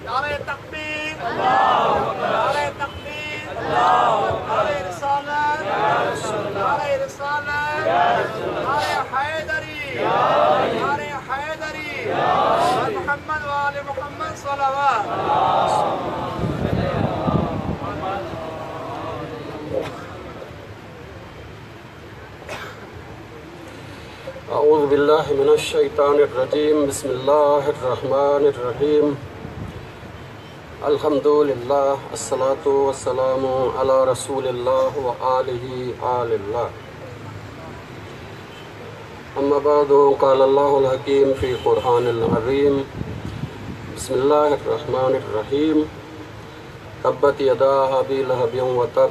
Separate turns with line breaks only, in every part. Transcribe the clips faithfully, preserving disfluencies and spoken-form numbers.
नारे तकबीर, नारे तकबीर, नारे रिसालत, नारे रिसालत, नारे हैदरी, नारे हैदरी, मोहम्मद वाले मोहम्मद सलावत।
अऊज़ु बिल्लाहि मिनश्शैतानिर्रजीम। बिस्मिल्लाहिर्रहमानिर्रहीम। अल्हम्दुलिल्लाह, अस्सलातु वस्सलामु अला रसूलिल्लाह व आलिहि आलिल्लाह। अम्मा बाद, क़ाल अल्लाहुल हकीम फ़ी क़ुरआनिल अज़ीम। बिस्मिल्लाहिर्रहमानिर्रहीम। तब्बत यदा अबी लहबिन व तब,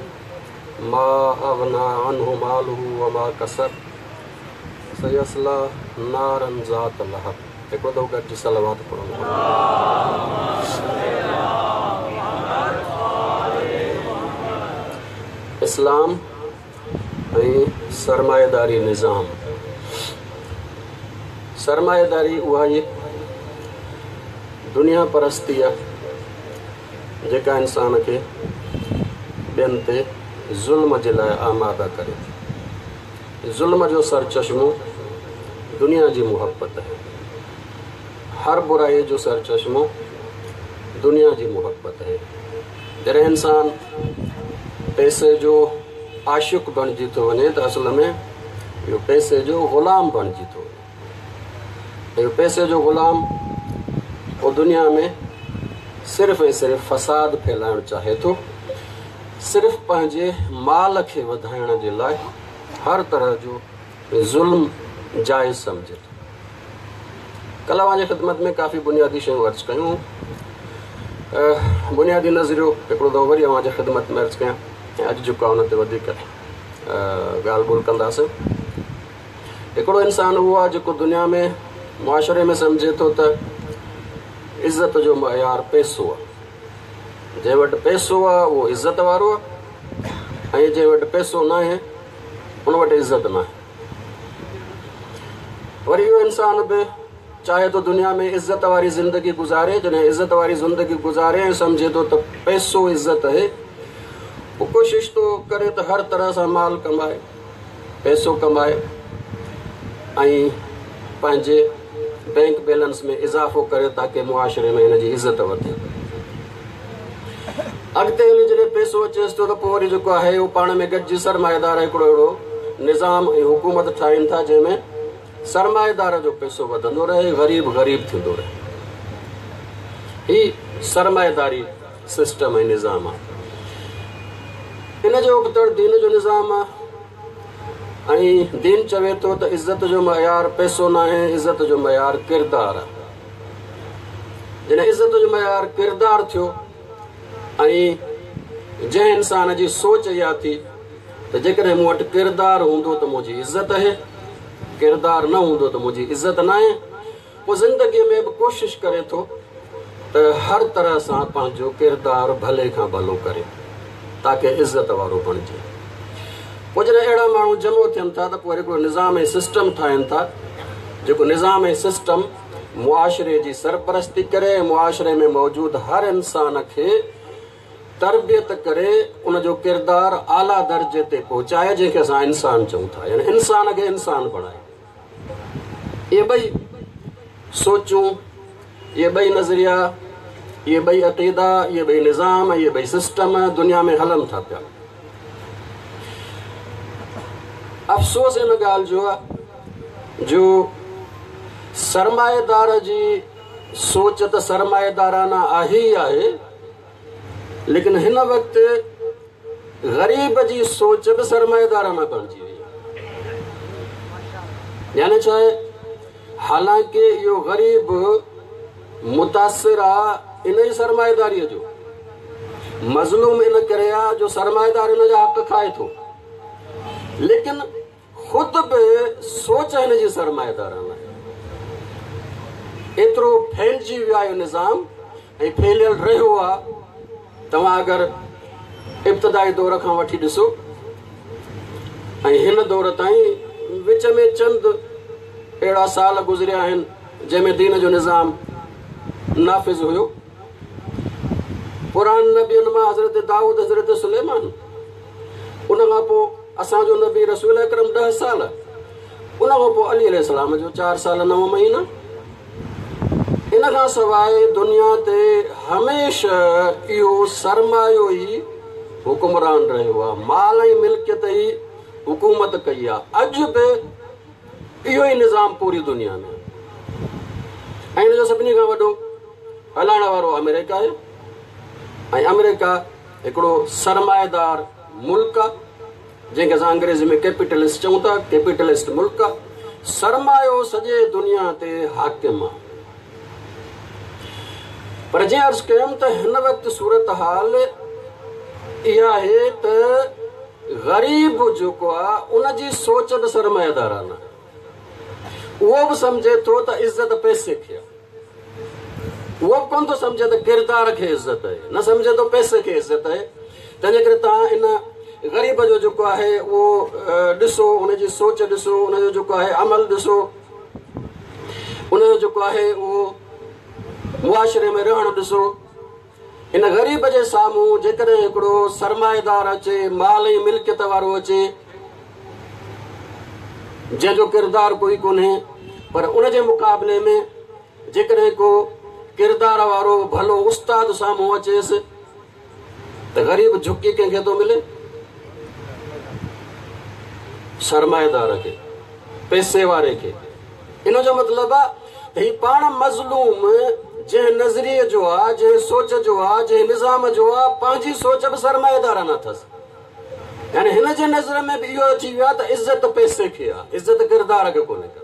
मा अग़ना अन्हु मालुहु व मा कसब, सयस्ला नारन ज़ात लहब। हिकिड़ो दफ़ो गॾिजी सलावत पढ़ो। इस्लाम ऐं सरमाएदारी निज़ाम। सरमाएदारी उहा ई दुनिया परस्ती आहे जेका इंसान खे ॿियनि ते ज़ुल्म जे लाइ आमादा करे थी। ज़ुल्म जो सरचश्मो दुनिया जी मुहब्बत आहे। हर बुराई जो सरचश्मो दुनिया जी मुहब्बत आहे। जॾहिं इंसान पैसे जो आशिक बणिजी थो वञे त असल में इहो पैसे जो ग़ुलाम बणिजी थो वञे। इहो पैसे जो ग़ुलाम उहो दुनिया में सिर्फ़ ऐं सिर्फ़ फसाद फैलाइणु चाहे थो, सिर्फ़ पंहिंजे माल खे वधाइण जे लाइ हर तरह जो ज़ुल्म जाइज़ सम्झे थो। कल्ह अव्हांजी ख़िदमत में काफ़ी बुनियादी शयूं अर्ज़ कयूं। बुनियादी नज़रियो हिकिड़ो दफ़ो वरी अव्हांजी ख़िदमत में अर्ज़ कयां ऐं अॼु जेको आहे उन ते वधीक ॻाल्हि ॿोल कंदासीं। हिकिड़ो इंसान उहो आहे जेको दुनिया में मुआशरे में सम्झे थो त इज़त जो मयार पैसो आहे। जंहिं वटि पैसो आहे उहो इज़त वारो आहे ऐं जंहिं वटि पैसो न आहे उन वटि इज़त न आहे। वरी इहो इंसान बि चाहे थो दुनिया में इज़त वारी ज़िंदगी गुज़ारे। जॾहिं इज़त वारी ज़िंदगी गुज़ारे ऐं सम्झे थो त पैसो इज़त आहे, पोइ कोशिशि थो करे त हर तरह सां माल कमाए, पैसो कमाए ऐं पंहिंजे बैंक बैलेंस में इज़ाफ़ो करे ताकि मुआशरे में हिन जी इज़त वधे। अॻिते हली जॾहिं पैसो अचेसि थो त पोइ वरी जेको आहे उहो पाण में गॾिजी सरमाएदार हिकिड़ो अहिड़ो निज़ाम ऐं हुकूमत ठाहिनि था जंहिंमें सरमाएदार जो पैसो वधंदो रहे, ग़रीब ग़रीब थींदो रहे। हीअ सरमाएदारी सिस्टम ऐं निज़ाम आहे। इन जो उबतड़ दीन जो निज़ाम आहे ऐं दीन चवे थो त इज़त जो मयार पैसो न आहे, इज़त जो मयार किरदार आहे। जॾहिं इज़त जो मयार किरदार थियो ऐं जंहिं इंसान जी सोच इहा थी त जेकॾहिं मूं वटि किरदार हूंदो त मुंहिंजी इज़त आहे, किरदार न हूंदो त मुंहिंजी इज़त न आहे, पोइ ज़िंदगीअ में बि कोशिशि करे थो त हर तरह सां पंहिंजो किरदार भले खां भलो करे ताकि इज़त वारो बणिजे। पोइ जॾहिं अहिड़ा माण्हू जमो थियनि था त पोइ हिकिड़ो निज़ाम ऐं सिस्टम ठाहिनि था जेको निज़ाम ऐं सिस्टम मुआशरे जी सरपरस्ती करे, मुआशरे में मौजूद हर इंसान खे तरबियत करे, उनजो किरदार आला दर्जे ते पहुचाए, जंहिंखे असां इंसान चऊं था, यानी इंसान खे इंसान बणाए। इहे ॿई सोचूं, इहे ॿई नज़रिया, इहे ॿई अक़ीदा, इहे ॿई निज़ाम, इहे ॿई सिस्टम दुनिया में हलनि था पिया। अफ़सोस इन ॻाल्हि जो आहे जो सरमाएदार जी सोच त सरमाएदाराना आहे ई आहे, लेकिन हिन वक़्तु ग़रीब जी सोच बि सरमाएदाराना बणिजी वई आहे। यानी छा आहे, हालांकि इहो ग़रीब मुतासिर आहे इन ई सरमाएदारीअ जो, मज़लूम इन करे आहे जो सरमाएदार इन जा हक़ खाए थो, लेकिन ख़ुदि बि सोच हिन जी सरमाएदाराना आहे। एतिरो फैलिजी वियो आहे निज़ाम ऐं फैलियल रहियो आहे। तव्हां अगरि इब्तिदाई दौर खां वठी ॾिसो ऐं हिन दौर ताईं विच में चंद अहिड़ा साल गुज़रिया आहिनि जंहिंमें दीन जो निज़ाम नाफ़िज़ हुयो। पुरान नबियुनि मां हज़रत दाऊद, हज़रत सुलेमान, उन खां पोइ असांजो नबी रसूल अकरम ॾह साल, उन खां पोइ अली अलैहिस्सलाम जो चारि साल नव महीना। इन खां सवाइ दुनिया ते हमेशह इहो सरमायो ई हुकुमरान रहियो आहे, माल ऐं मिल्कियत ई हुकूमत कई आहे। अॼु बि इहो ई निज़ाम पूरी दुनिया में, ऐं हिन जो सभिनी खां वॾो हलाइण वारो अमेरिका आहे। ऐं अमेरिका हिकिड़ो सरमाएदार मुल्क आहे, जंहिंखे असां अंग्रेज़ी में कैपिटलिस्ट चऊं था, कैपिटलिस्ट मुल्क आहे। सरमायो सॼे दुनिया ते हाकिम आहे। पर जीअं अर्ज़ु कयमि त हिन वक़्तु सूरत हाल इहा आहे त ग़रीब जेको आहे उनजी सोच बि सरमाएदाराना, उहो बि सम्झे थो त इज़त पैसे खे आहे, उहो बि कोन थो सम्झे त किरदार खे इज़त आहे, न सम्झे थो पैसे खे इज़त आहे। तंहिंजे करे तव्हां इन ग़रीब जो जेको आहे उहो ॾिसो, उनजी सोच ॾिसो, उनजो जेको आहे अमल ॾिसो, उनजो जेको आहे उहो मुआशरे में रहणु ॾिसो। इन ग़रीब जे साम्हूं जेकॾहिं हिकिड़ो सरमाएदार अचे, माल ऐं मिल्कियत वारो अचे, जंहिंजो किरदारु कोई कोन्हे, पर उनजे मुक़ाबले में जेकॾहिं को किरदार वारो भलो उस्ताद साम्हूं अचेसि त ग़रीब झुकी कंहिंखे थो मिले? सरमाएदार खे, पैसे वारे खे। इन जो मतिलबु आहे त हीउ पाण मज़लूम जंहिं नज़रिए जो आहे, जंहिं सोच जो आहे, जंहिं निज़ाम जो आहे, पंहिंजी सोच बि सरमाएदाराना अथसि। यानी हिन जे नज़र में बि इहो अची वियो आहे त इज़त पैसे खे आहे, इज़त किरदार खे कोन्हे का।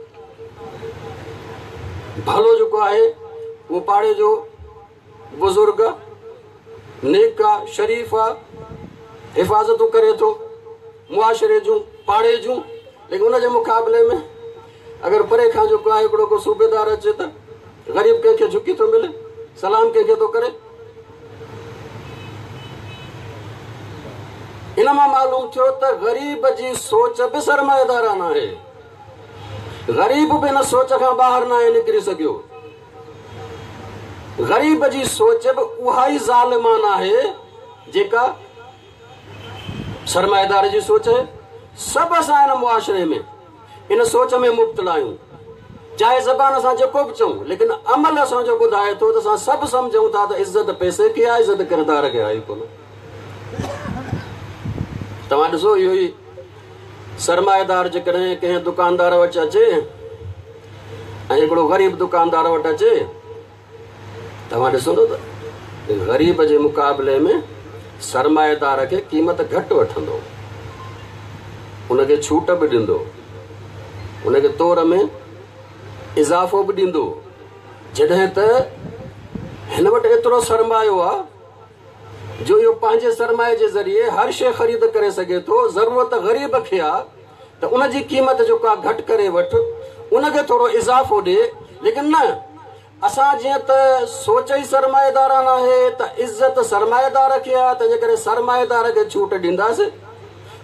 भलो जेको आहे उहो पाड़े जो बुज़ुर्ग आहे, नेक आहे, शरीफ़ आहे, हिफाज़तूं करे थो मुआशरे जूं, पाड़े जूं, लेकिन उनजे मुक़ाबले में अगरि परे खां जेको आहे हिकिड़ो को सूबेदार अचे त ग़रीब कंहिंखे झुकी थो मिले, सलाम कंहिंखे थो करे। इन मां मालूम थियो त ग़रीब जी सोच बि सरमाएदाराना आहे, ग़रीब बि हिन सोच खां ॿाहिरि न आहे निकिरी सघियो। ग़रीब जी सोच बि उहा ई ज़ालिमाना आहे जेका सरमाएदार जी सोच आहे। सभु असां हिन मुआशरे में इन सोच में मुब्तला आहियूं, चाहे ज़बान सां जेको बि चऊं, लेकिन अमल असांजो ॿुधाए थो त असां सभु सम्झूं था त इज़त पैसे खे आहे, इज़त किरदार खे आहे कोन। तव्हां ॾिसो इहो ई सरमाएदार जेकॾहिं कंहिं दुकानदार वटि अचे ऐं हिकिड़ो ग़रीब दुकानदार वटि अचे, तव्हां ॾिसंदो त ग़रीब जे मुक़ाबले में सरमाएदार खे क़ीमत घटि वठंदो, उनखे छूट बि ॾींदो, उनखे तौर में इज़ाफ़ो बि ॾींदो। जॾहिं त हिन वटि एतिरो सरमायो आहे जो इहो पंहिंजे सरमाए जे ज़रिए हर शइ ख़रीद करे सघे थो। ज़रूरत ग़रीब खे आहे त उनजी क़ीमत जेको आहे घटि करे वठि, उनखे थोरो इज़ाफ़ो ॾे, लेकिन न, असां जीअं त सोच ई सरमाएदाराना आहे त इज़त सरमाएदार खे आहे, तंहिंजे करे सरमाएदार खे छूट ॾींदासीं,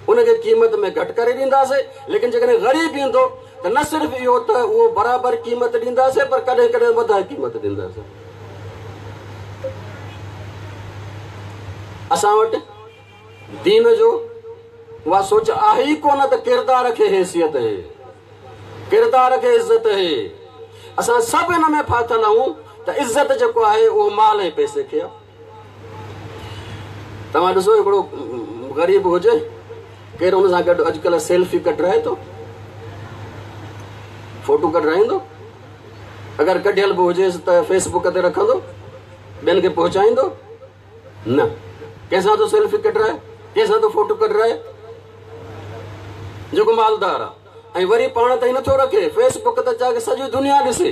उनखे क़ीमत में घटि करे ॾींदासीं। लेकिन जेकॾहिं ग़रीब ईंदो त न सिर्फ़ु इहो त उहो बराबरि क़ीमत ॾींदासीं, पर कॾहिं कॾहिं वधाए क़ीमत ॾींदासीं। असां वटि दीन जो उहा सोच आहे ई कोन त किरदार खे हैसियत आहे, किरदार खे इज़त आहे। असां सभु हिन में फाथिल आहियूं त इज़त जेको आहे उहो माल ऐं पैसे खे आहे। तव्हां ॾिसो हिकिड़ो ग़रीब हुजे, केरु हुन सां गॾु अॼुकल्ह सेल्फी कढाए थो, फोटो कढाईंदो, अगरि कढियल बि हुजेसि त फेसबुक ते रखंदो, ॿियनि खे पहुचाईंदो न। कंहिंसां थो सेल्फी कढाए, कंहिंसां थो फोटो कढाए? जेको मालदार आहे ऐं वरी पाण ताईं नथो रखे, फेसबुक ते चाहे सॼी दुनिया ॾिसे।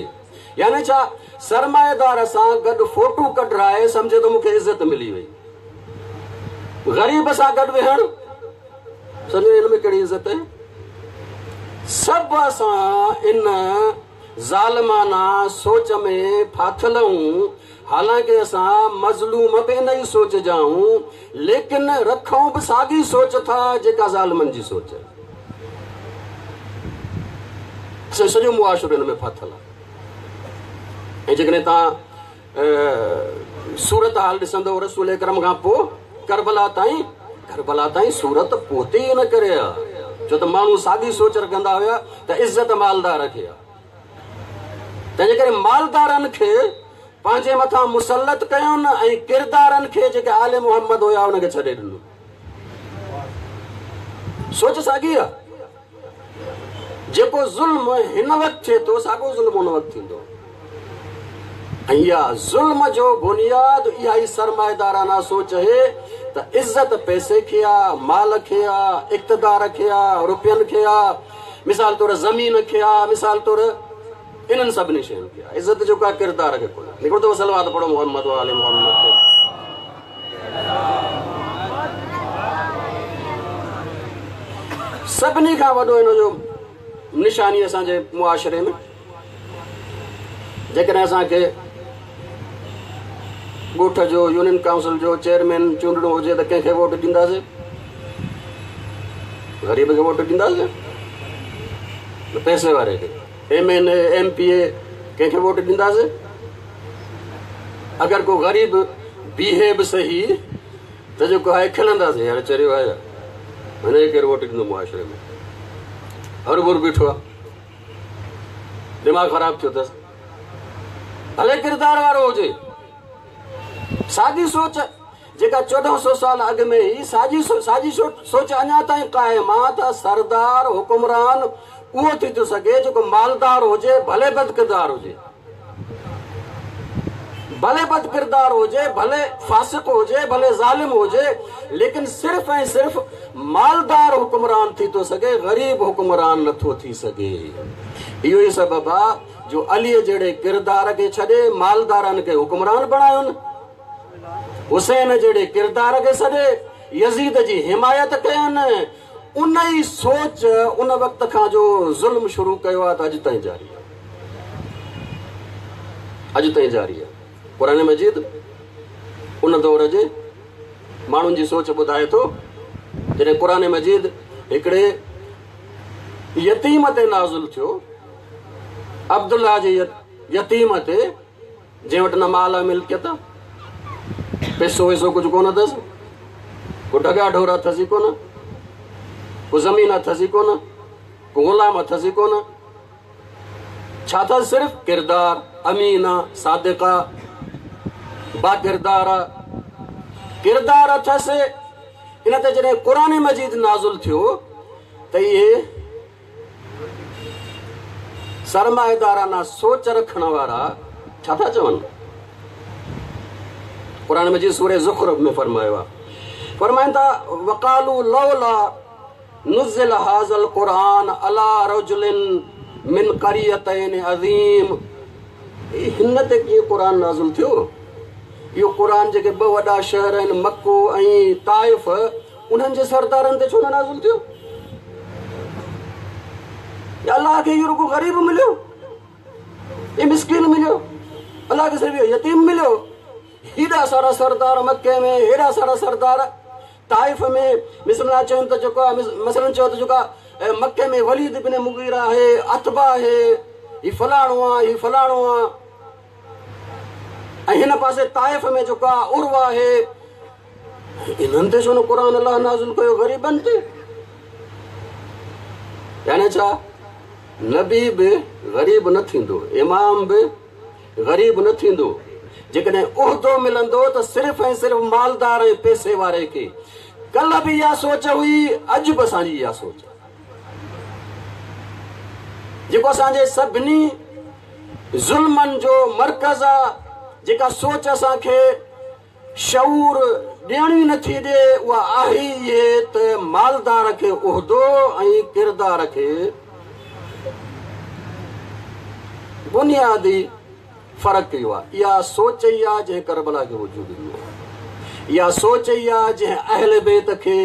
यानी छा, सरमाएदार सां गॾु फोटो कढाए सम्झे थो मूंखे इज़त मिली वई, ग़रीब सां गॾु वेहणु सम्झो हिन में कहिड़ी इज़त आहे? सभु असां इन ज़ालिमाना सोच में फाथिल आहियूं। हालांकि असां मज़लूम बि इन ई सोच जा आहियूं, लेकिन रखूं बि साॻी सोच था जेका ज़ालिमनि जी सोच आहे। सॼो मुआशिरो हिन में फाथिल आहे। ऐं जेकॾहिं तव्हां सूरत हाल ॾिसंदव रसूल अकरम खां पोइ करबला ताईं करबला ताईं सूरत पहुती ई न करे हा, छो त माण्हू साॻी सोच रखंदा हुया त इज़त मालदार खे आहे। तंहिंजे करे मालदारनि खे पंहिंजे मथां मुसलत कयुनि ऐं किरदारनि खे जेके आले मोहम्मद हुया उनखे छॾे ॾिनो। सोच साॻी आहे, जेको ज़ुल्म हिन वक़्तु थिए थो साॻियो ज़ुल्म उन वक़्तु थींदो। ऐं इहा ज़ुल्म जो बुनियाद इहा ई सरमाएदाराना सोच आहे त इज़त पैसे खे आहे, माल खे आहे, इक़्तिदार खे आहे, रुपयनि खे आहे, मिसाल तौरु ज़मीन खे आहे, मिसाल तौरु इन्हनि सभिनी शयुनि खे आहे। इज़त जो का किरदार खे कोन्हे। हिकिड़ो दफ़ो सलवात पढ़ो मोहम्मद वाले मोहम्मद ते। सभिनी खां वॾो हिन जो निशानी असांजे मुआशरे में, जेकॾहिं असांखे ॻोठ जो यूनियन काउंसिल जो चेयरमैन चूंडणो हुजे त कंहिंखे वोट ॾींदासीं? ग़रीब खे वोट ॾींदासीं? पैसे वारे खे। M N A M P A कंहिंखे वोट ॾींदासीं? अगरि को ग़रीब बीहे बि सही त जेको आहे खिलंदासीं, यार चरियो आहे यार, हिनखे केरु वोट ॾींदो मुआशरे में? हर भर बीठो आहे, दिमाग़ ख़राबु थियो अथसि। भले किरदार वारो हुजे, साॻी सोच जेका चोॾहं सौ साल अॻु में ई साॻी साॻी सोच अञा ताईं क़ाइम आहे त सरदार हुकुमरान उहो थी थो सघे जेको मालदार हुजे, भले बद किरदार हुजे, भले बद किरदार हुजे, भले फासिक हुजे, भले ज़ालिम हुजे, लेकिन सिर्फ़ ऐं सिर्फ़ मालदार हुकुमरान थी थो सघे, ग़रीब हुकुमरान नथो थी सघे। इहो ई सबबु आहे जो अलीअ जहिड़े किरदार खे छॾे मालदारनि खे हुकुमरान बणायुनि, हुसैन जहिड़े किरदार खे छॾे यज़ीद जी हिमायत कयनि। उन ई सोच उन वक़्त खां जो ज़ुल्म शुरू कयो आहे त अॼु ताईं जारी आहे, अॼु ताईं जारी आहे। क़ुरान मजीद उन दौर जे माण्हुनि जी सोच ॿुधाए थो। जॾहिं क़ुरान मजीद हिकिड़े यतीम ते नाज़िल थियो, अब्दुल्ला जे यतीम ते, जंहिं वटि न माल मिल्कियत, पैसो वैसो कुझु कोन अथसि, को ढॻा ढोर अथसि कोन, को ज़मीन अथसि कोन, को ग़ुलाम अथसि कोन, छा अथसि? सिर्फ़ किरदार, अमीन सादिक़ बाकिरदार किरदार अथसि। इन ते जॾहिं क़ुरान मजीद नाज़िल थियो त इहे सरमाएदाराना सोच रखण वारा छा था चवनि? क़ुरान मजीद सूरह ज़ुख़रुफ़ में फरमायो आहे, फरमाइनि था वक़ालू लौला नुज़िल हाज़ल क़ुरान अला रजुलिन मिन क़रियतैन अज़ीम। हिन ते कीअं क़ुरान नाज़िल थियो? इहो क़ुरान जेके ॿ वॾा शहर आहिनि मक्को ऐं ताइफ़, उन्हनि जे सरदारनि ते छो न नाज़िल थियो? अलाह खे इहो रुॻो ग़रीब मिलियो, इहो मिसकीन मिलियो, अलाह खे सिर्फ़ इहो यतीम मिलियो। हेॾा सारा सरदार मक्के में, हेॾा सारा सरदार ताइफ़ में। मिसलन चवनि त जेको आहे, मसलन चयो त जेको आहे मक्के में वलीद बिन मुगीरा आहे, अतबा आहे, हीउ फलाणो आहे, हीउ फलाणो आहे, ऐं हिन पासे ताइफ़ में जेको आहे उर्वा आहे। इन्हनि ते छो न क़ुरान अलाह नाज़िल कयो ग़रीबनि ते? यानी छा नबी बि ग़रीब न थींदो, इमाम बि ग़रीब न थींदो। जेकॾहिं उहिदो मिलंदो त सिर्फ़ ऐं सिर्फ़ मालदार ऐं पैसे वारे खे। कल्ह बि इहा सोच हुई, अॼु बि असांजी इहा सोच आहे। जेको असांजे सभिनी ज़ुल्मनि जो मर्कज़ आहे, जेका सोच असांखे शऊर ॾियण ई नथी ॾिए, उहा आहे इहे त मालदार खे उहिदो ऐं किरदार खे बुनियादी फ़र्क़ु इहो आहे। इहा सोच ई आहे जंहिं करबला खे वजूद ॾिनो आहे, इहा सोच ई आहे जंहिं अहल बैत खे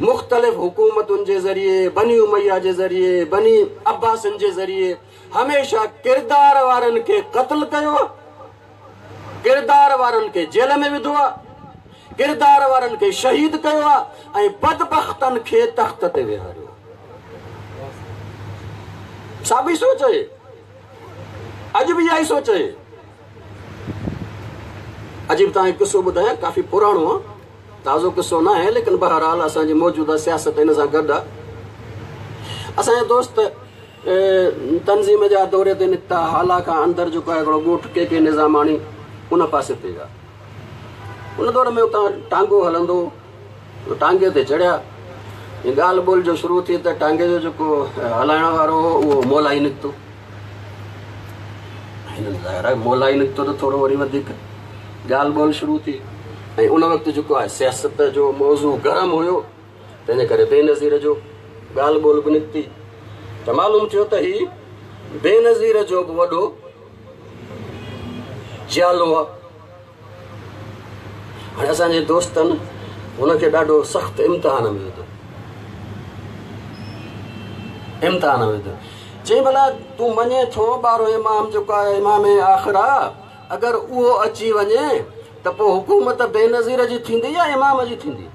मुख़्तलिफ़ हुकूमतुनि जे ज़रिए, बनी उमैया जे ज़रिए, बनी अब्बासिन जे ज़रिए हमेशह किरदार वारनि खे क़त्ल कयो आहे, किरदार वारनि खे जेल में विधो आहे, किरदार वारनि खे शहीद कयो आहे ऐं बदबख़्तनि खे तख़्त ते विहारियो। साॻी सोच आहे, अॼु बि इहा ई सोच आहे। अजीब तव्हांखे क़िसो ॿुधायां, काफ़ी पुराणो आहे, ताज़ो क़िसो न आहे, लेकिन बहरहाल असांजी मौजूदा सियासत हिन सां गॾु आहे। असांजा दोस्त तंज़ीम जा दौरे ते निकिता, हाला खां अंदरि जेको आहे हिकिड़ो ॻोठु के के निज़ामाणी उन पासे ते विया। उन दौर में उतां टांगो हलंदो, टांगे ते चढ़िया, ॻाल्हि ॿोल जो शुरू थी त टांगे जो जेको हलाइण वारो हो उहो मौलाई निकितो। हिननि ज़ाहिर आहे मौलाई निकितो त थोरो वरी वधीक ॻाल्हि ॿोल शुरू थी ऐं उन वक़्तु जेको आहे सियासत जो मौज़ू गरम हुयो, तंहिंजे करे बेनज़ीर जो ॻाल्हि ॿोल बि निकिती त मालूम थियो त हीउ बेनज़ीर जो बि वॾो जियालो आहे। हाणे असांजे दोस्तनि हुनखे ॾाढो सख़्तु इम्तिहान में विधो, इम्तिहान में विधो। चई भला तूं मञे थो ॿारहों इमाम जेको आहे इमाम आख़िर आहे, अगरि उहो अची वञे त पोइ हुकूमत बेनज़ीर जी थींदी या इमाम जी थींदी?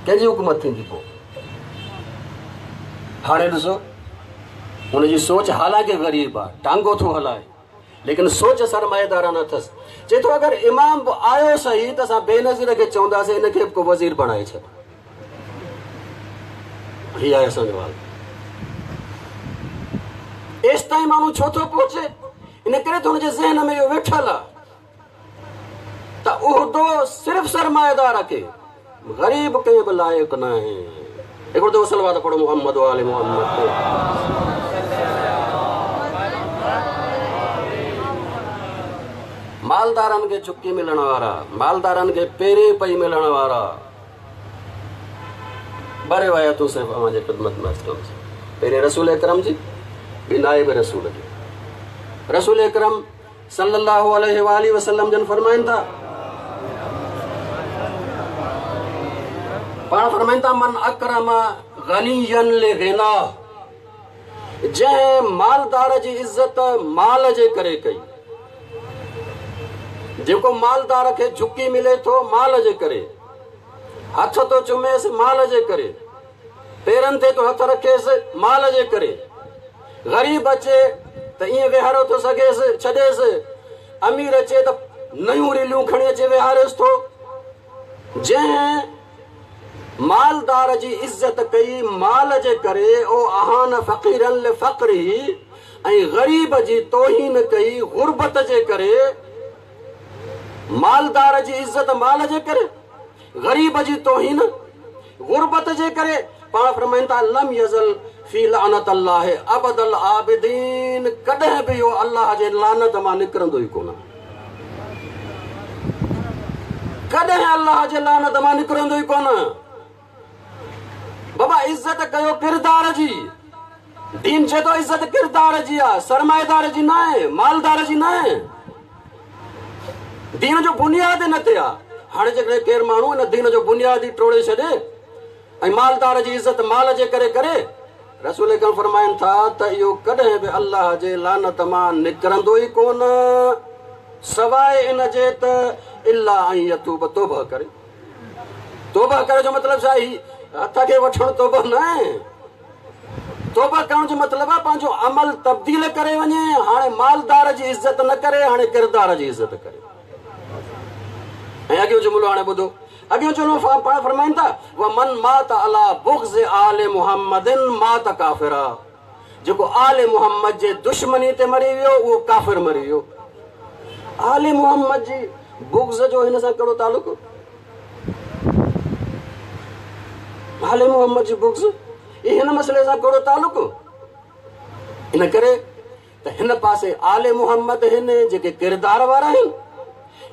कंहिंजी हुकूमत थींदी पोइ? हाणे ॾिसो हुनजी सोच हालांकि ग़रीब आहे, टांगो थो हलाए, लेकिन सोच सरमाएदाराना अथसि। चए थो अगरि इमाम बि आयो सही त असां बेनज़ीर खे चवंदासीं हिनखे बि को वज़ीर बणाए छॾ। हीउ आहे असांजो हाल। एसि ताईं माण्हू छो थो पहुचे? इन करे त हुनजे ज़हन में इहो वेठल आहे त उहिदो सिर्फ़ु सरमाएदार खे, ग़रीब कंहिं बि लाइक़ न आहे। हिकिड़ो दफ़ो सलवात पढ़ो मोहम्मद वाले मोहम्मद ते। मालदारनि खे झुकी मिलण वारा, मालदारनि खे पहिरीं पई मिलण वारा, ॿ रिवायतूं सिर्फ़ु अव्हांजे ख़िदमत में अर्ज़ु कंदुसि। पहिरीं रसूल अकरम जी, ॿी नाइब रसूल जी। रसूल अकरम सल्लल्लाहु अलैहि वालैहि वसल्लम जन फरमाइनि था, पाण फरमाइनि था, मन अकरम गनियन लिगिना, जंहिं मालदार जी इज़त माल जे करे कई, जेको मालदार खे झुकी मिले थो माल जे करे, हथ थो चुमेसि माल जे करे, पेरनि ते थो हथ रखेसि माल जे करे, ग़रीब अचे त ईअं वेहारो थो सघेसि छॾेसि, अमीर अचे त नयूं रीलियूं खणी अचे वेहारेसि थो। जंहिं मालदार जी इज़त कई माल जे करे, ओ आहान फ़क़ीरन लिफ़क़रिही, ऐं ग़रीब जी तौहीन कई ग़ुरबत जे करे। मालदार जी इज़त माल जे करे, ग़रीब जी तौहीन ग़ुरबत जे करे। पाण फरमाइनि था, लम यज़ल फ़ी लानत अल्लाह अबदल आबिदीन, कॾहिं बि इहो अल्लाह जे लानत मां निकिरंदो ई कोन, कॾहिं अल्लाह जे लानत मां निकिरंदो ई कोन। बाबा इज़त कयो किरदार जी, दीन चए थो इज़त किरदार जी आहे, सरमाएदार जी न आहे, मालदार जी न आहे। दीन जो बुनियाद हिन ते आहे। हाणे जेकॾहिं केरु माण्हू हिन दीन जो बुनियाद ई टोड़े छॾे ऐं मालदार जी इज़त माल जे करे करे, रसूल अकरम फरमाइनि था त इहो कॾहिं बि अल्लाह जे लानत मां निकिरंदो ई कोन, सवाइ इन जे त इल्ला ऐं यतूब, तौबा करे। तौबा करे जो मतिलबु छा? ही हथ खे वठणु तौबा न आहे। तौबा करण जो मतिलबु आहे पंहिंजो अमल तब्दील करे वञे। हाणे मालदार जी इज़त न करे, हाणे किरदार जी इज़त करे। ऐं अॻियों जुमिलो हाणे ॿुधो, अॻियों जुमिलो पाण फरमाइनि था, व मन मात अला बुग़्ज़ आल मुहम्मदिन मात काफ़िरा, जेको आल मुहम्मद जे दुश्मनी ते मरी वियो उहो काफ़िर मरी वियो। आल मुहम्मद जी बुग़्ज़ जो हिन सां कहिड़ो तालुक? आल मुहम्मद जी बुग़्ज़ हिन मसइले सां कहिड़ो तालुक? इन करे त हिन पासे आल मुहम्मद आहिनि जेके किरदार वारा आहिनि,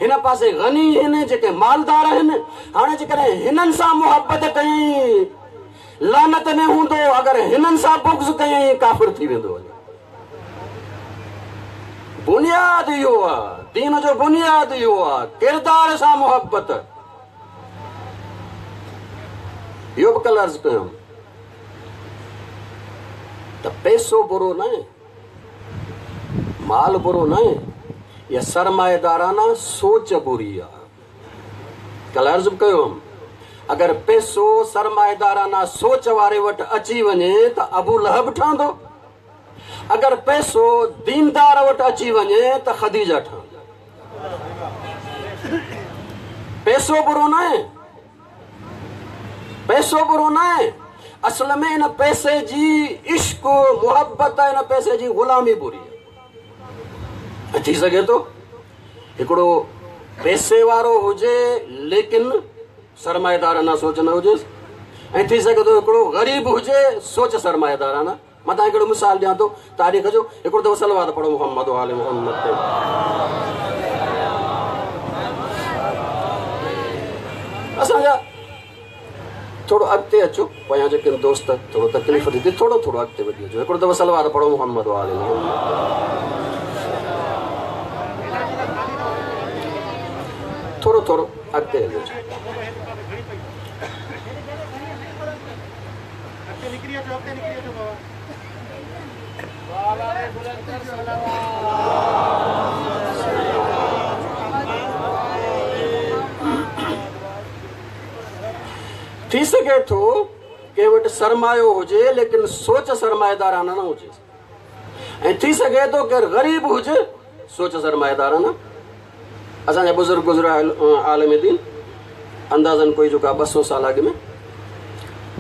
हिन पासे गनी आहिनि जेके मालदार आहिनि। हाणे जेकॾहिं हिननि सां मुहबत कयईं लानत में हूंदो, अगरि हिननि सां बुग़्ज़ कयईं काफ़िर थी वेंदो। बुनियाद इहो आहे, दीन जो बुनियाद इहो आहे, किरदार सां मुहबत। इहो बि कल्ह अर्ज़ु कयमि त पैसो बुरो न आहे, माल बुरो न आहे, या सरमाएदाराना सोच बुरी आहे। कल्ह अर्ज़ु बि कयो हुअमि, अगरि पैसो सरमाएदाराना सोच वारे वटि अची वञे त अबू लहब ठहंदो, अगरि पैसो दीनदार वटि अची वञे त ख़दीजा ठहंदी। पैसो बुरो न आहे, पैसो बुरो न आहे, असल में इन पैसे जी इश्क मुहबत आहे, इन पैसे जी ग़ुलामी बुरी आहे। थी सघे थो हिकिड़ो पैसे वारो हुजे लेकिन सरमाएदाराना सोच न हुजेसि, ऐं थी सघे थो हिकिड़ो ग़रीब हुजे सोच सरमाएदाराना। मां तव्हांखे हिकिड़ो मिसाल ॾियां थो तारीख़ जो। हिकिड़ो दफ़ो सलवात पढ़ो मोहम्मद आले मोहम्मद ते। असांजा थोरो अॻिते अचो, पोयां जेके दोस्त थोरो तकलीफ़ थी थिए, थोरो थोरो अॻिते वधी अचो। हिकिड़ो दफ़ो सलवात पढ़ो मोहम्मद आले मोहम्मद। थोरो थोरो अॻिते हली अचो। थी सघे थो कंहिं वटि सरमायो हुजे लेकिन सोच सरमाएदाराना न हुजे, ऐं थी सघे थो केरु ग़रीब हुजे सोच सरमाएदाराना। असांजा बुज़ुर्ग गुज़रिया आलम दीन अंदाज़न कोई जेको आहे ॿ सौ साल अॻु में,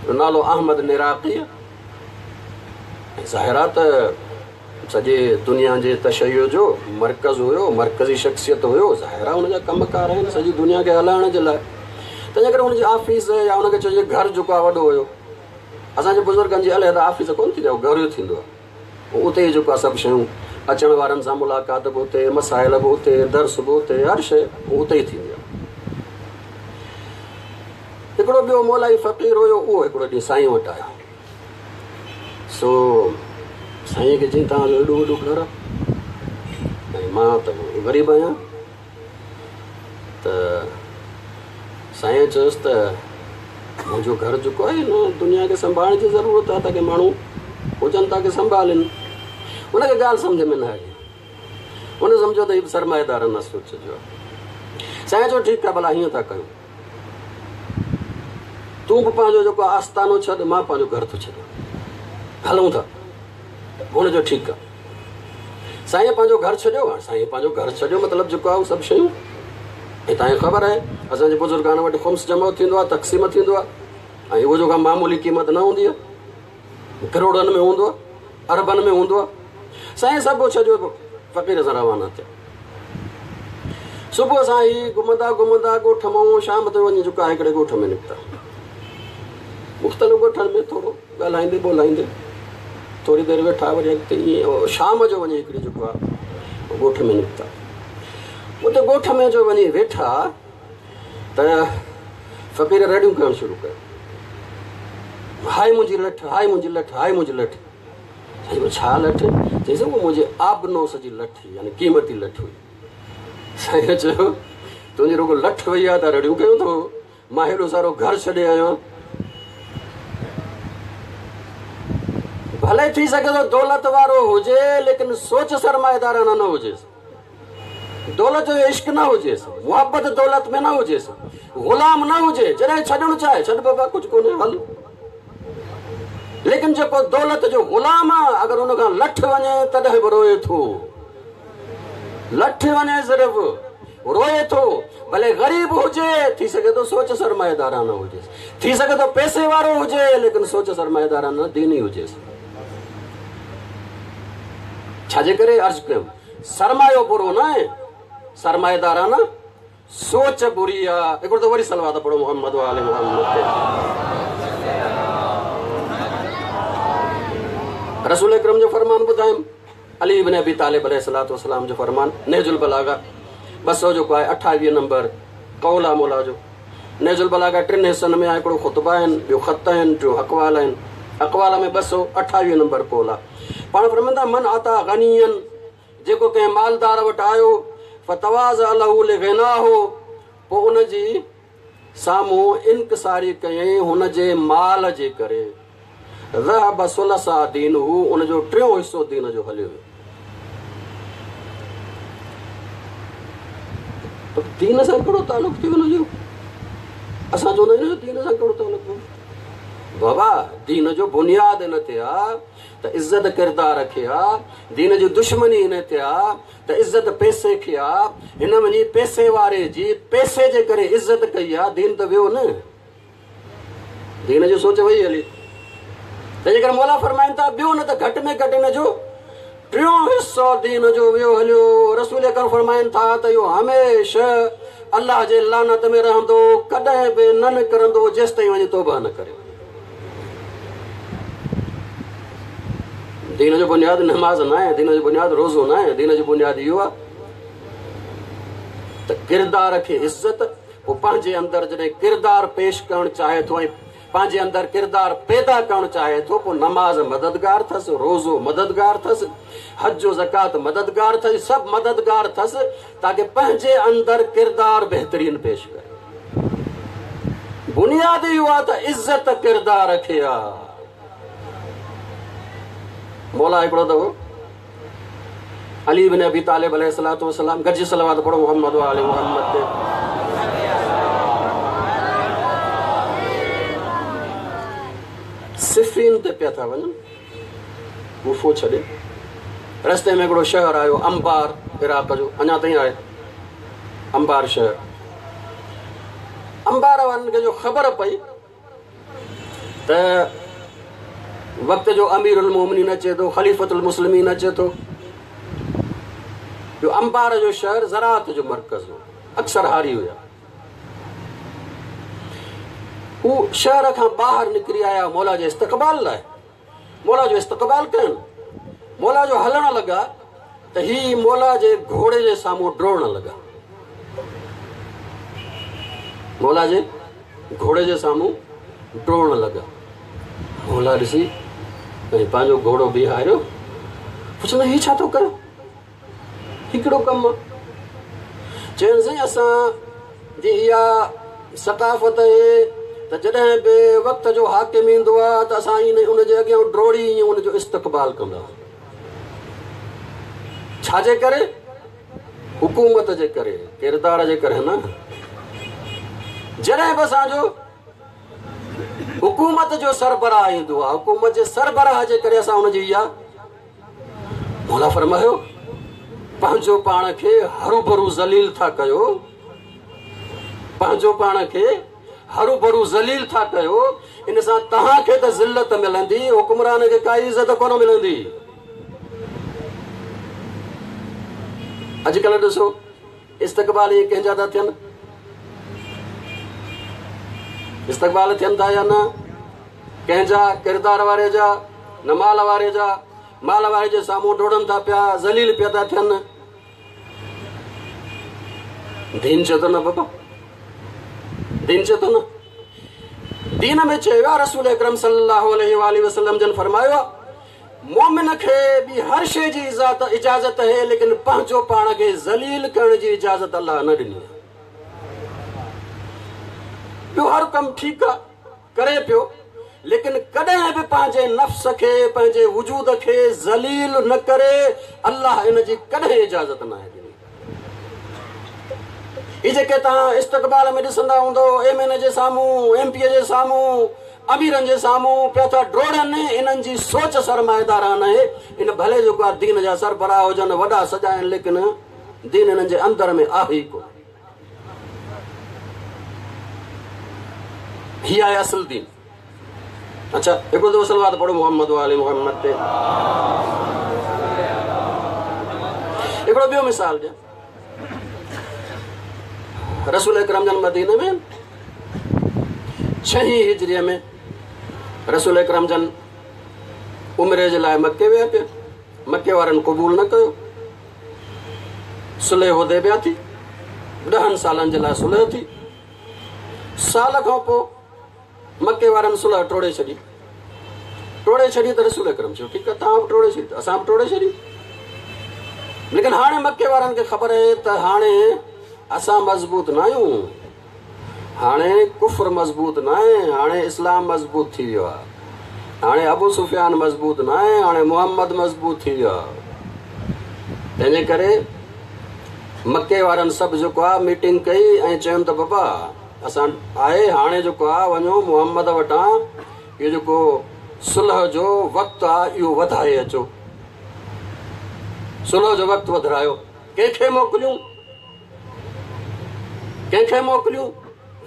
नालो अहमद निराक़ी। ज़ाहिर आहे त सॼे दुनिया जे तशैयो जो मर्कज़ हुयो, मर्कज़ी शख़्सियत हुयो। ज़ाहिर आहे हुनजा कम कार आहिनि सॼी दुनिया खे हलाइण जे लाइ, तंहिंजे करे हुनजी ऑफिस या हुनखे चइजे घर जेको आहे वॾो हुयो। असांजे बुज़ुर्गनि जी अलहदा ऑफिस कोन थींदी आहे, घर थींदो आहे। उते ई जेको आहे सभु शयूं, अचण वारनि सां मुलाक़ात बि उते, मसाइल बि उते, दर्स बि उते, हर शइ उते ई थींदी आहे। हिकिड़ो ॿियो मौलाई फ़क़ीर हुयो, उहो हिकिड़ो ॾींहुं साईं वटि आयो। सो साईं खे चयईं तव्हांजो एॾो वॾो घर आहे ऐं मां त ग़रीब आहियां। त साईं चयोसि त मुंहिंजो घर जेको आहे न दुनिया खे संभालण जी ज़रूरत आहे, ताकी माण्हू हुजनि ताकी संभालनि। हुनखे ॻाल्हि सम्झ में न आई, हुन सम्झो त हीउ सरमाएदार न सोच जो आहे। साईं चयो ठीकु आहे, भला हीअं था कयूं, तूं बि पंहिंजो जेको आस्तानो छॾ, मां पंहिंजो घर थो छॾियां, हलूं था। हुन चयो ठीकु आहे। साईं पंहिंजो घर छॾियो। हाणे साईं पंहिंजो घर छॾियो मतिलबु जेको आहे उहो सभु शयूं, ऐं तव्हांखे ख़बर आहे असांजे बुज़ुर्गान वटि ख़ुम्स जमो थींदो आहे, तक़सीम थींदो आहे, ऐं उहो जेको मामूली क़ीमत न हूंदी आहे, करोड़नि में हूंदो आहे, अरबनि में हूंदो आहे। साईं सभु छॾियो, फ़क़ीर सां रवाना थिया। सुबुह सां ई घुमंदा घुमंदा ॻोठ मां शाम ते वञी जेको आहे हिकिड़े ॻोठ में निकिता। मुख़्तलिफ़ ॻोठनि में थोरो ॻाल्हाईंदे ॿोलाईंदे थोरी देरि वेठा, वरी अॻिते ईअं शाम जो वञी हिकिड़ी जेको आहे ॻोठ में निकिता। उते ॻोठ में जो वञी वेठा त फ़क़ीर रड़ियूं करणु शुरू कयो, हाय मुंहिंजी लठि, हाय मुंहिंजी लठि, हाय मुंहिंजी लठि। साईं छा लठि? चईसि उहो मुंहिंजे आबनोस जी लठि, यानी क़ीमती लठि हुई। साईं चयो तुंहिंजी रुॻो लठि वई आहे त रड़ियूं कयूं थो, मां हेॾो सारो घर छॾे आयो आहियां। भले थी सघे थो दौलत वारो हुजे लेकिन सोच सरमाएदाराना न हुजेसि, दौलत जो इश्क न हुजेसि, मुहबत दौलत में न हुजेसि, ग़ुलाम न हुजे। जॾहिं छॾणु चाहे छॾ बाबा, कुझु कोन्हे हल। लेकिन जेको दौलत जो ग़ुलाम आहे, अगरि हुनखां लठि वञे तॾहिं बि रोए थो, लठि वञे सिर्फ़ रोए थो। भले ग़रीब हुजे, थी सघे थो सोच सरमाएदाराना हुजेसि, थी सघे थो पैसे वारो हुजे लेकिन सोच सरमाएदाराना दीनी हुजेसि। छाजे करे अर्ज़ कयुमि, सरमायो बुरो न आहे, सरमाएदाराना सोच बुरी आहे। हिकिड़ो त वरी सलवात पढ़ो मोहम्मद वाले मोहम्मद ते। रसूल अकरम जो फरमान ॿुधायुमि, अली इब्न अबी तालिब अलैहिस्सलातु वस्सलाम जो फरमान, नहजुल बलागा ॿ सौ जेको आहे अठावीह नंबर कौल आहे मौला जो। नहजुल बलागा टिनि हिसनि में आहे, हिकिड़ो ख़ुतबा आहिनि, ॿियो ख़त आहिनि, टियों अक़वाल आहिनि। अक़वाल में ॿ सौ अठावीह नंबर कौल आहे। पाण फरमाइनि था मन आता गनियन, जेको कंहिं मालदार वटि आयो, फतवाज़ लहू लिग़िनाहु, पोइ उनजी साम्हूं इनकिसारी कयईं हुनजे माल जे करे, ज़हब सुलसा दीनहु, उनजो टियों हिसो दीन जो हलियो वियो। त दीन सां कहिड़ो तालुक थी हुनजो? असां चवंदा आहियूं दीन सां कहिड़ो तालुक? बाबा दीन जो बुनियाद इन ते आहे त इज़त किरदार खे आहे, दीन जी दुश्मनी इन ते आहे त इज़त पैसे खे आहे। हिन वञी पैसे वारे जी पैसे जे करे इज़त कई आहे, दीन त वियो न, दीन जी सोच वई हली। तंहिंजे करे मौला फरमाइनि था ॿियो न त घटि में घटि हिन जो टियों हिसो दीन जो वियो हलियो। रसूल अकरम फरमाइनि था त इहो हमेशह अल्लाह जे लानत में रहंदो, कॾहिं बि न निकिरंदो जेसि ताईं वञी तौबा न करे। दीन जो बुनियाद नमाज़ न आहे, दीन जो बुनियाद रोज़ो न आहे, दीन जो बुनियाद इहो आहे त किरदार खे इज़त, पोइ पंहिंजे अंदरि जॾहिं किरदार पेश करणु चाहे थो ऐं पंहिंजे अंदरि किरदार पैदा करणु चाहे थो, पोइ नमाज़ मददगार अथसि, रोज़ो मददगार अथसि, हज ज़कात मददगार अथसि, सभु मददगार अथसि, ताकि पंहिंजे अंदरि किरदार बहितरीन पेश करे। बुनियाद इहो आहे त इज़त किरदार खे आहे। मौला हिकिड़ो दफ़ो अली बिन अबी तालिब अलैहिस्सलातु वस्सलाम गॾिजी सलावत पढ़ो मोहम्मद वाले मोहम्मद ते। सिफीन ते पिया था वञनि, गुफो छॾे रस्ते में हिकिड़ो शहर आयो अंबार, इराक़ जो, अञा ताईं आहे अंबार शहर। अंबार वारनि खे जो ख़बर पई त वक़्त जो अमीरुल मोमिनीन अचे थो, ख़लीफ़तुल मुस्लिमीन अचे थो। जो अंबार जो शहर ज़राअत जो मर्कज़ हो, अक्सर हारी हुया। हू शहर खां ॿाहिरि निकिरी आया मौला जे इस्तक़बाल लाइ, मौला जो इस्तक़बाल कयनि। मौला जो हलण लॻा त ही मौला जे घोड़े जे साम्हूं ड्रोड़ण लॻा, मौला जे घोड़े जे साम्हूं ड्रोड़ण लॻा। मौला ॾिसी पंहिंजो घोड़ो बीहारियो, पुछंदो हीउ छा थो कयो, हिकिड़ो कमु आहे। चयनि साईं असांजी इहा सकाफ़त आहे त जॾहिं बि वक़्त जो हाकिम ईंदो आहे त असां इन उनजे अॻियां ड्रोड़ी ईअं उनजो इस्तक़बाल कंदा आहियूं। छाजे करे? हुकूमत जे करे, किरदार जे करे न। जॾहिं बि असांजो हुकूमत जो सरबराह ईंदो आहे, हुकूमत जे सरबराह जे करे असां हुनजी इहा। मौला फरमायो पंहिंजो पाण खे हरू भरू ज़लील था कयो, पंहिंजो पाण खे हरू भरू ज़लील था कयो, इन सां तव्हांखे त ज़िल्लत मिलंदी, हुकुमरान खे काई इज़त कोन मिलंदी। अॼुकल्ह ॾिसो इस्तक़बाल इहे कंहिंजा था थियनि, इस्तक़बाल थियनि था या न? कंहिंजा? किरदार वारे जा, न माल वारे जा। माल वारे जे साम्हूं डोड़नि था पिया, ज़लील पिया था थियनि। दीन चए थो न बाबा, दीन चए थो न। दीन में चयो आहे रसूल अकरम सल्लल्लाहु अलैहि वसल्लम जन फरमायो आहे मोमिन खे बि हर शइ जी इजाज़त आहे, लेकिन पंहिंजो पाण खे ज़लील करण जी इजाज़त अल्लाह न ॾिनी आहे। ॿियो हर कमु ठीकु आहे करे पियो, लेकिन कॾहिं बि पंहिंजे नफ़्स खे, पंहिंजे वजूद खे ज़लील न करे, अल्लाह इन जी कॾहिं इजाज़त न आहे ॾिनी। इहे जेके तव्हां इस्तक़बाल में ॾिसंदा हूंदव, एम एन ए जे साम्हूं, एम पी ए जे साम्हूं, अमीरनि जे साम्हूं पिया था ड्रोड़नि, इन्हनि जी सोच सरमाएदारान आहे। इन भले जेको आहे दीन जा सरबराह हुजनि, वॾा सॼा आहिनि, लेकिन दीन इन्हनि जे अंदरि में आहे ई कोन। हीअ आहे असुलु दीन। अच्छा, हिकिड़ो दफ़ो सलवात पढ़ो मोहम्मद वाले मोहम्मद ते। हिकिड़ो ॿियो मिसाल ॾियां। रसूल अकरम जन मदीने में छहीं हिजरीअ में रसूल अकरम जन उमरे जे लाइ मक्के विया पिया, मक्के वारनि क़बूल न कयो, सुलह हुदैबिया थी, ॾहनि सालनि जे लाइ सुलह थी। साल खां पोइ मक्के वारनि सुलह टोड़े छॾी, टोड़े छॾी त रसूल अकरम चयो ठीकु आहे तव्हां बि टोड़े छॾी, असां बि टोड़े छॾी। लेकिन हाणे मक्के वारनि खे ख़बर आहे त हाणे असां मज़बूत न आहियूं, हाणे कुफ्र मज़बूत न आहे, हाणे इस्लाम मज़बूत थी वियो आहे, हाणे अबू सुफियान मज़बूत न आहे, हाणे मोहम्मद मज़बूत थी वियो आहे। तंहिंजे करे मक्के वारनि सभु जेको आहे मीटिंग कई ऐं चयुनि त बाबा असां आहे हाणे जेको आहे वञो मोहम्मद वटां इहो जेको सुलह जो वक़्तु आहे इहो वधाए अचो, सुलह जो वक़्तु वधारायो। कंहिंखे मोकिलियूं? कंहिंखे मोकिलियूं?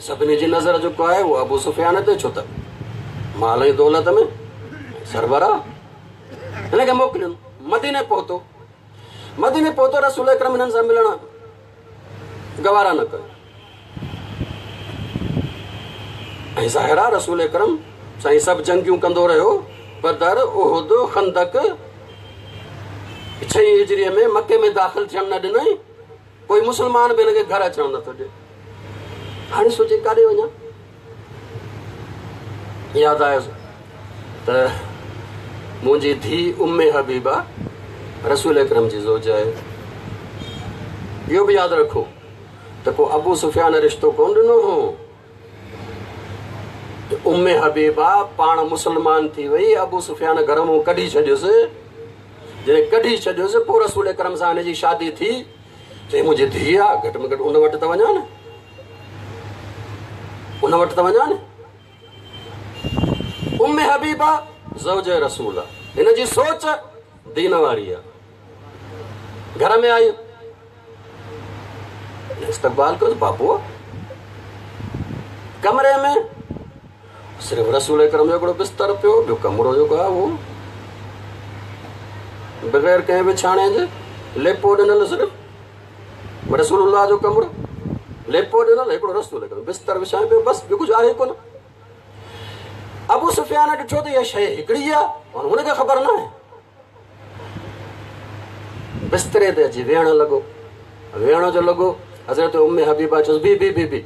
सभिनी जी नज़र जेको आहे उहो अबू सुफियान ते, छो त माल ऐं दौलत में सरबराह, हिनखे मोकिलियूं। मदीने पहुतो, मदीने पहुतो रसूल अकरम हिननि सां मिलण गवारा न कयो। ऐं ज़ाहिर आहे रसूल अकरम साईं सभु जंगियूं कंदो रहियो, बदर, उहुद, खंदक। छह हिजरीअ में मक्के में दाख़िल थियण न ॾिनई, कोई मुसलमान बि हिनखे घर अचण नथो ॾिए। हाणे सोचे काॾे वञा, यादि आयुसि त मुंहिंजी धीउ उम्मे हबीबा रसूल अकरम जी ज़ोज आहे। इहो बि यादि रखो त को अबू सुफियान रिश्तो कोन ॾिनो हो। उम्मे हबीबा पाण मुसलमान थी वई, अबू सुफियान घर मां कढी छॾियोसि। जॾहिं कढी छॾियोसि पोइ रसूल अकरम सां हिन जी शादी थी। चई मुंहिंजी धीउ आहे, घटि में घटि उन वटि त वञा न, उन वटि त वञा न। उम्मे हबीबा ज़ौज रसूल आहे, हिन जी सोच दीन वारी आहे। घर में आई, इस्तक़बाल कयो बाबू कमरे में सिर्फ़ रसूल अकरम जो हिकिड़ो बिस्तर पियो, ॿियो कमरो जेको आहे उहो बग़ैर कंहिं विछाणे जे, लेपो ॾिनल, सिर्फ़ रसूलुल्लाह जो कमरो लेपो ॾिनल, हिकिड़ो रसूल अकरम बिस्तर विछाए पियो, बसि ॿियो कुझु आहे कोन। अबू सुफियान ॾिठो त इहा शइ हिकिड़ी आहे, हुनखे ख़बर न आहे। बिस्तरे ते अची वेहण लॻो, वेहण जो लॻो। हज़रत उम्मे हबीबा चयोसि बी बी बी बी,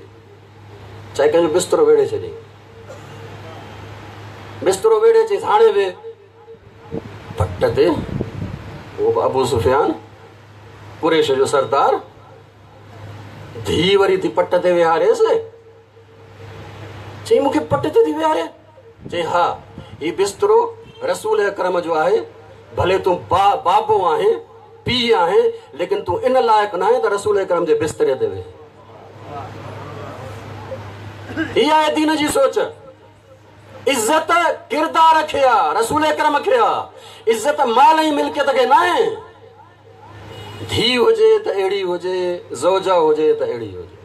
चाहे कंहिंजो बिस्तरो वेड़े छॾी, बिस्तरो वेड़े चईसि हाणे वेह। पट ते उहो बि अबू सुफियान कुरैश जो सरदार, धीउ वरी थी पट ते विहारेसि। चई मूंखे पट ते थी विहारे? चई हा, हीउ बिस्तरो रसूल अकरम जो आहे, भले तूं बा बाबो आहीं, पीउ आहीं, लेकिन तूं इन लाइक़ न आहीं त रसूल अकरम जे बिस्तरे ते वेह। हीअ आहे दीन जी सोच। इज़त किरदार खे आहे, रसूल अकरम खे आहे, इज़त माल ऐं मिल्कियत खे न आहे। धीउ हुजे त अहिड़ी हुजे, ज़ौजा हुजे त अहिड़ी हुजे,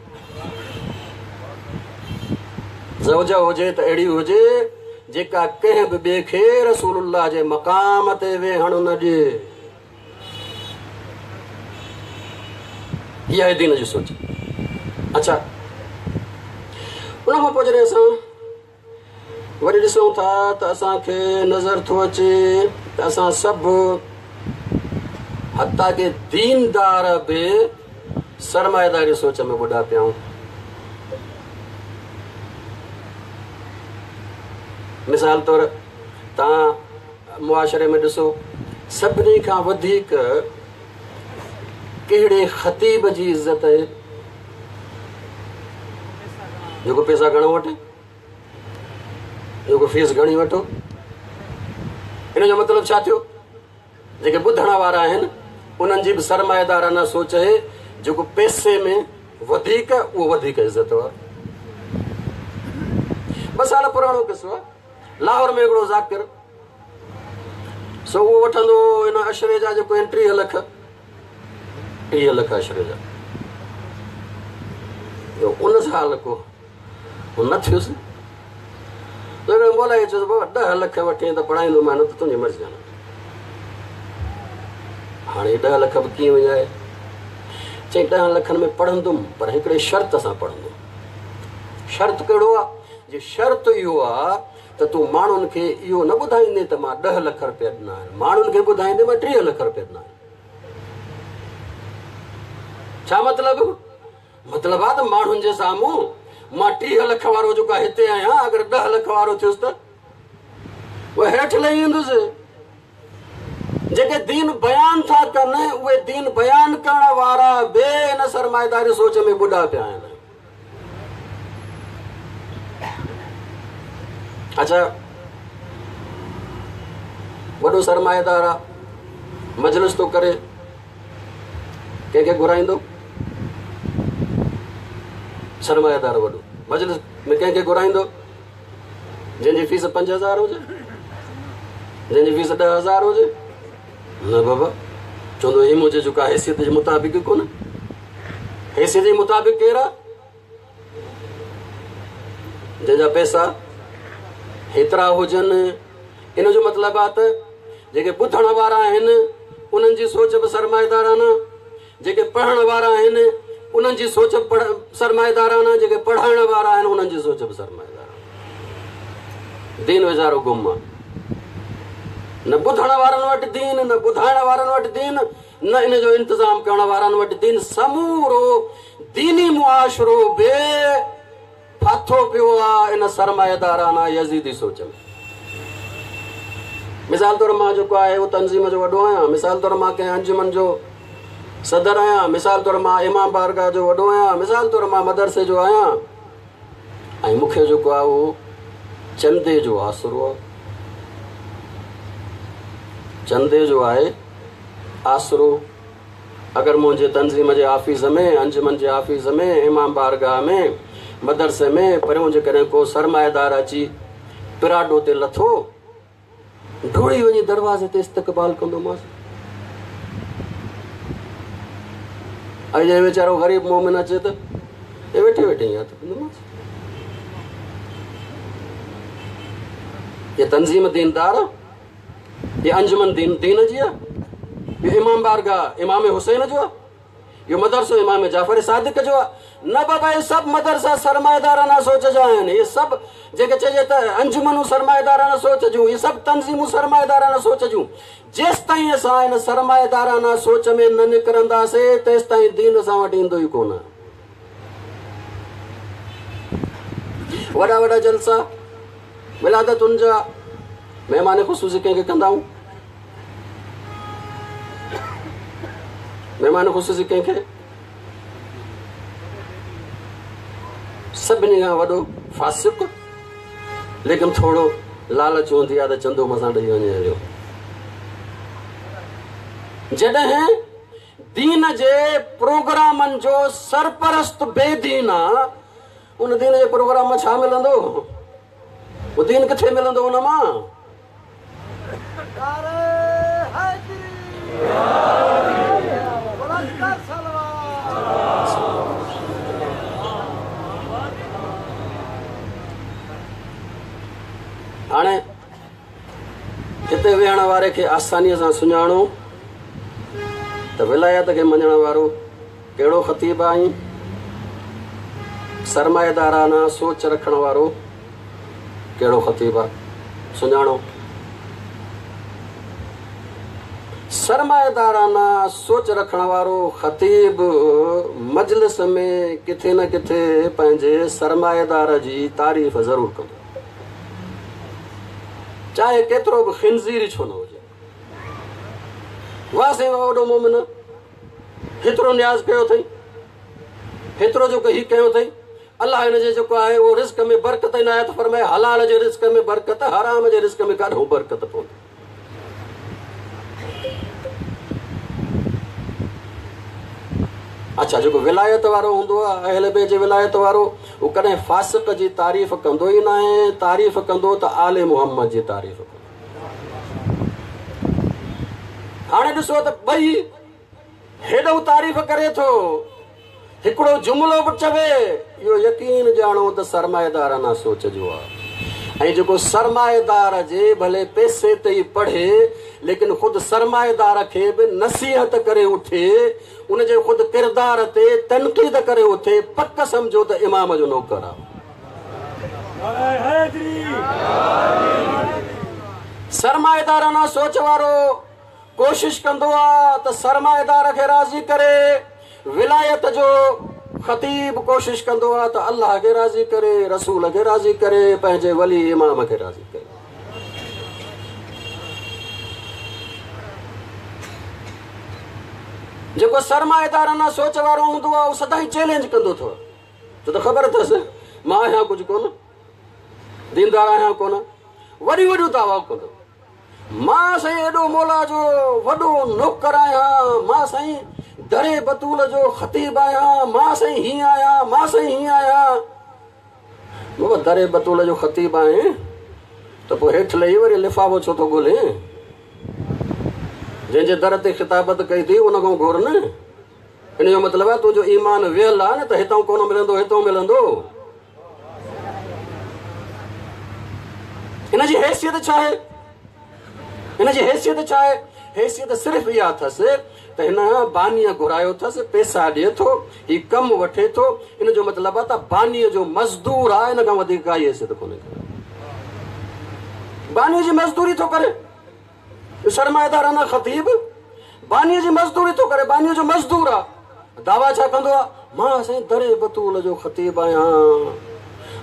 ज़ौजा हुजे त अहिड़ी हुजे जेका कंहिं बि ॿिए खे रसूलुल्लाह जे मक़ाम ते वेहण न ॾिए। इहा आहे दीन जी सोच। अच्छा, उन खां पोइ जॾहिं असां वरी ॾिसूं था त असांखे नज़र थो अचे त असां सभु हता के दीनदार बि सरमाएदारी सोच में ॿुॾा पिया आहियूं। मिसाल तौरु तव्हां मुआशरे में ॾिसो, सभिनी खां वधीक कहिड़े ख़तीब जी इज़त आहे? जेको पैसा घणो वठे, जेको फीस घणी वठो। इन जो मतिलबु छा थियो? जेके ॿुधण वारा आहिनि उन्हनि जी बि सरमाएदाराना सोच आहे, जेको पैसे में वधीक उहो वधीक इज़त वारो। ॿ साल पुराणो क़िसो आहे, लाहौर में हिकिड़ो ज़ाकिर, सो उहो वठंदो हिन अशरे जा जेको आहिनि टीह लख, टीह लख अशरे जा। उन साल को न थियुसि, मौला चयोसि बाबा ॾह लख वठे त पढ़ाईंदोमांइ, न त तुंहिंजी मर्ज़ी आहे। हाणे ॾह लख बि कीअं वञाए? चई ॾह लखनि में पढ़ंदुमि, पर हिकिड़े शर्त सां पढ़ंदुमि। शर्त कहिड़ो आहे? जे शर्त इहो आहे त तूं माण्हुनि खे इहो न ॿुधाईंदे त मां ॾह लख रुपया ॾिना आहिनि, माण्हुनि खे ॿुधाईंदे मां टीह लख रुपया ॾिना आहिनि। छा मतिलबु? मतिलबु आहे त माण्हुनि जे साम्हूं मां टीह लख वारो जेको आहे हिते आहियां, अगरि ॾह लख वारो थियुसि त उहो हेठि लही ईंदुसि। जेके दीन बयान था कनि उहे दीन बयान करण वारा बि हिन सरमाएदारी सोच में ॿुॾा पिया आहिनि। अच्छा, वॾो सरमाएदार आहे, मजलिस थो करे, कंहिंखे घुराईंदो? सरमाएदार वॾो मजलिस में कंहिंखे घुराईंदो? जंहिंजी फीस पंज हज़ार हुजे, जंहिंजी फीस ॾह हज़ार हुजे। न बाबा, चवंदो हीउ मुंहिंजे जेको आहे हैसियत जे मुताबिक़ कोन्हे। हैसियत जे मुताबिक़ केरु आहे? जंहिंजा पैसा हेतिरा हुजनि। इन जो मतिलबु आहे त जेके ॿुधण वारा आहिनि उन्हनि जी सोच बि सरमाएदाराना, जेके पढ़ण वारा आहिनि उन्हनि जी सोच बि सरमाएदाराना, जेके पढ़ाइण वारा आहिनि उन्हनि जी सोच बि सरमाएदाराना। दीन वीचारो गुम आहे, न ॿुधण वारनि वटि दीन, न ॿुधाइण वारनि वटि दीन, न इन जो इंतज़ाम करण वारनि वटि दीन। समूरो दीनी मुआशरो बि फाथो पियो आहे इन सरमाएदाराना यज़ीदी सोच में। मिसाल तौर मां जेको आहे उहो तंज़ीम जो वॾो आहियां, मिसाल तौर मां कंहिं अंजुमन जो सदर आहियां, मिसाल तौर मां इमाम बारगाह जो वॾो आहियां, मिसाल तौर मां मदरसे जो आहियां, ऐं मूंखे जेको आहे उहो चंदे जो आसरो आहे, चंदे जो आहे आसरो। अगरि मुंहिंजे तंज़ीम जे ऑफिस में, अंजुमन जे ऑफिस में, इमाम बारगाह में, मदरसे में परियों जेकॾहिं को सरमाएदार अची पिराडो ते लथो, ढोड़ी वञी दरवाज़े ते इस्तक़बाल कंदोमांसि। ऐं जंहिं वीचारो ग़रीब मोमिन अचे त वेठे वेठे ई हथु कंदोमांसि। ये तंज़ीम दीनदार आहे, ये अंजुमन दीन दीन जी आहे, इहो इमाम बारगाह इमाम हुसैन जो आहे, इहो मदरसो इमाम जाफ़र सादिक जो आहे। न बाबा, इहे सभु मदरसा सरमाएदाराना सोच जा आहिनि। इहे सभु जेके चइजे त अंजुमनूं सरमाएदाराना सोच जूं, इहे सभु तंज़ीमूं सरमाएदाराना सोच जूं। जेसि ताईं असां हिन सरमाएदाराना सोच में न निकिरंदासीं तेसि ताईं दीन असां वटि ईंदो ई कोन। वॾा वॾा जलसा विलादतुनि जा महिमान ख़ुसूसी कंहिंखे कंदा आहियूं? महिमान ख़ुसूसी कंहिंखे? सभिनी खां वॾो फासिक, लेकिन थोरो लालच हूंदी आहे त चंदो मसां ॾेई वञे हलियो। जॾहिं दीन जे प्रोग्रामनि जो सरपरस्त बेदीन आहे, उन दीन जे प्रोग्राम मां छा मिलंदो? उहो दीन किथे मिलंदो उन मां? हाणे हिते वेहण वारे खे आसानीअ सां सुञाणो त विलायत खे मञण वारो कहिड़ो ख़तीब आहे, सरमाएदाराना सोच रखण वारो कहिड़ो ख़तीब आहे, सुञाणो। सरमाएदाराना सोच रखण वारो ख़तीब मजलिस में किथे न किथे पंहिंजे सरमाएदार जी तारीफ़ ज़रूरु कंदो, चाहे केतिरो बि ख़िंज़ीर छो न हुजे। वाह साईं, वॾो मोमिन, हेतिरो नियाज़ कयो अथई, हेतिरो जेको हीउ कयो अथई, अलाह हिन जे जेको आहे उहो रिस्क में बरकत इनायत फरमाए। हलाल जे रिस्क में बरकत, हराम जे रिस्क में काॾो बरकत पवंदी। अच्छा, जेको विलायत वारो हूंदो आहे, अहल बैत जे विलायत वारो, उहो कॾहिं फासिक जी तारीफ़ कंदो ई न आहे। तारीफ़ कंदो त आले मोहम्मद जी तारीफ़ कंदो। हाणे ॾिसो त ॿई हेॾो तारीफ़ करे थो, हिकिड़ो जुमिलो बि चवे, इहो यकीन ॼाणो त सरमाएदाराना सोच जो आहे। ऐं जेको सरमाएदार जे भले पैसे ते ई पढ़े, लेकिन ख़ुदि सरमाएदार खे बि नसीहत करे उठे, उनजे ख़ुदि किरदार ते तनक़ीद करे उथे, पक सम्झो त इमाम जो नौकर आहे। सरमाएदाराना सोच वारो कोशिश कंदो आहे त सरमाएदार खे राज़ी करे। विलायत जो ख़तीब कोशिश कंदो आहे त अल्लाह खे राज़ी करे, रसूल खे राज़ी करे, पंहिंजे वली इमाम खे राज़ी करे। जेको सरमाएदाराना सोच वारो हूंदो आहे उहो सदाईं चैलेंज कंदो अथव, छो त ख़बर अथसि मां आहियां कुझु कोन, दीनदार आहियां कोन, वॾियूं वॾियूं दावा कंदो, मां साईं एॾो मौला जो वॾो नौकर आहियां, मां साईं दरे बतूल जो ख़तीब आहियां, मां साईं हीअं आहियां, मां साईं हीअं आहियां। बाबा दरे बतूल जो ख़तीब आहे, त पोइ हेठि लही वरी लिफ़ाफ़ो छो थो ॻोल्हे? जंहिंजे दर ते ख़िताबत कई अथई उन खां घुर न। इन जो मतिलबु आहे तुंहिंजो ईमान वियल आहे न, त हितां कोन मिलंदो, हितां मिलंदो। हिन जी हैसियत छा आहे? हिन जी हैसियत छा आहे? हैसियत सिर्फ़ इहा अथसि त हिन बानीअ घुरायो अथसि, पैसा ॾिए थो, हीउ कमु वठे थो। इन जो मतिलबु आहे त बानीअ जो मज़दूर आहे, इन खां वधीक काई हैसियत कोन्हे। बानीअ जी मज़दूरी थो करे, सरमाएदार न ख़तीब, बानीअ जी मज़दूरी थो करे, बानीअ जो मज़दूर आहे। दावा छा कंदो आहे? मां साईं दरे बतूल जो ख़तीब आहियां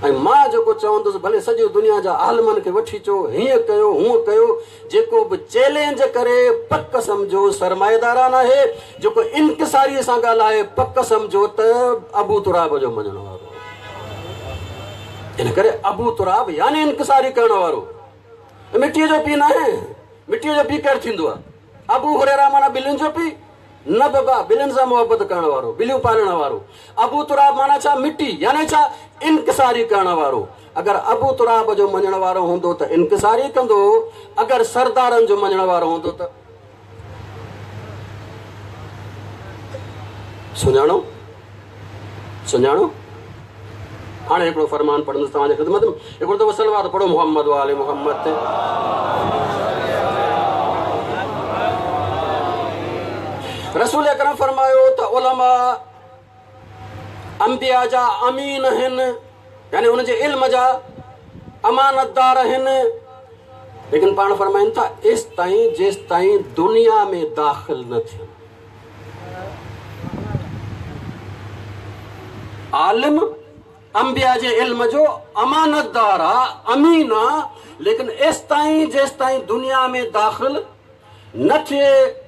ऐं मां जेको चवंदुसि भले सॼी दुनिया जा आलमनि खे वठी अचो, हीअं कयो हूअं कयो, जेको बि चैलेंज करे पक सम्झो सरमाएदारान आहे, जेको इनकिसारीअ सां ॻाल्हाए पक सम्झो त अबू तुराब जो मञण वारो। इन करे अबू तुराब यानी इनकिसारी करण वारो, मिटीअ जो पीउ न आहे। मिटीअ जो पीउ केरु थींदो आहे? अबू हुरैरा माना ॿिलियुनि जो पीउ न बाबा, ॿिलियुनि सां मोहबत करण वारो, ॿिलियूं पालण वारो। अबू तुराब माना छा? मिटी, यानी छा? इनकिसारी करण वारो। अगरि अबू तुराब जो मञण वारो हूंदो त इनकिसारी कंदो, अगरि सरदारनि जो मञण वारो हूंदो त सुञाणो सुञाणो। हाणे हिकिड़ो फरमान पढ़ंदुसि तव्हांजी ख़िदमत में, हिकिड़ो दफ़ो सलवात पढ़ो मोहम्मद वाले मोहम्मद ते। रसूल अकरम फरमायो त उलमा अंबिया जा अमीन आहिनि, यानी उन जे इल्म जा अमानतदार आहिनि। लेकिन पाण फरमाइनि था एसि ताईं जेसि ताईं दुनिया में दाख़िल न थियनि। आलिम अंबिया जे इल्म जो अमानतदार आहे, अमीन आहे, लेकिन एसि ताईं जेसि ताईं दुनिया में दाख़िल न थिए।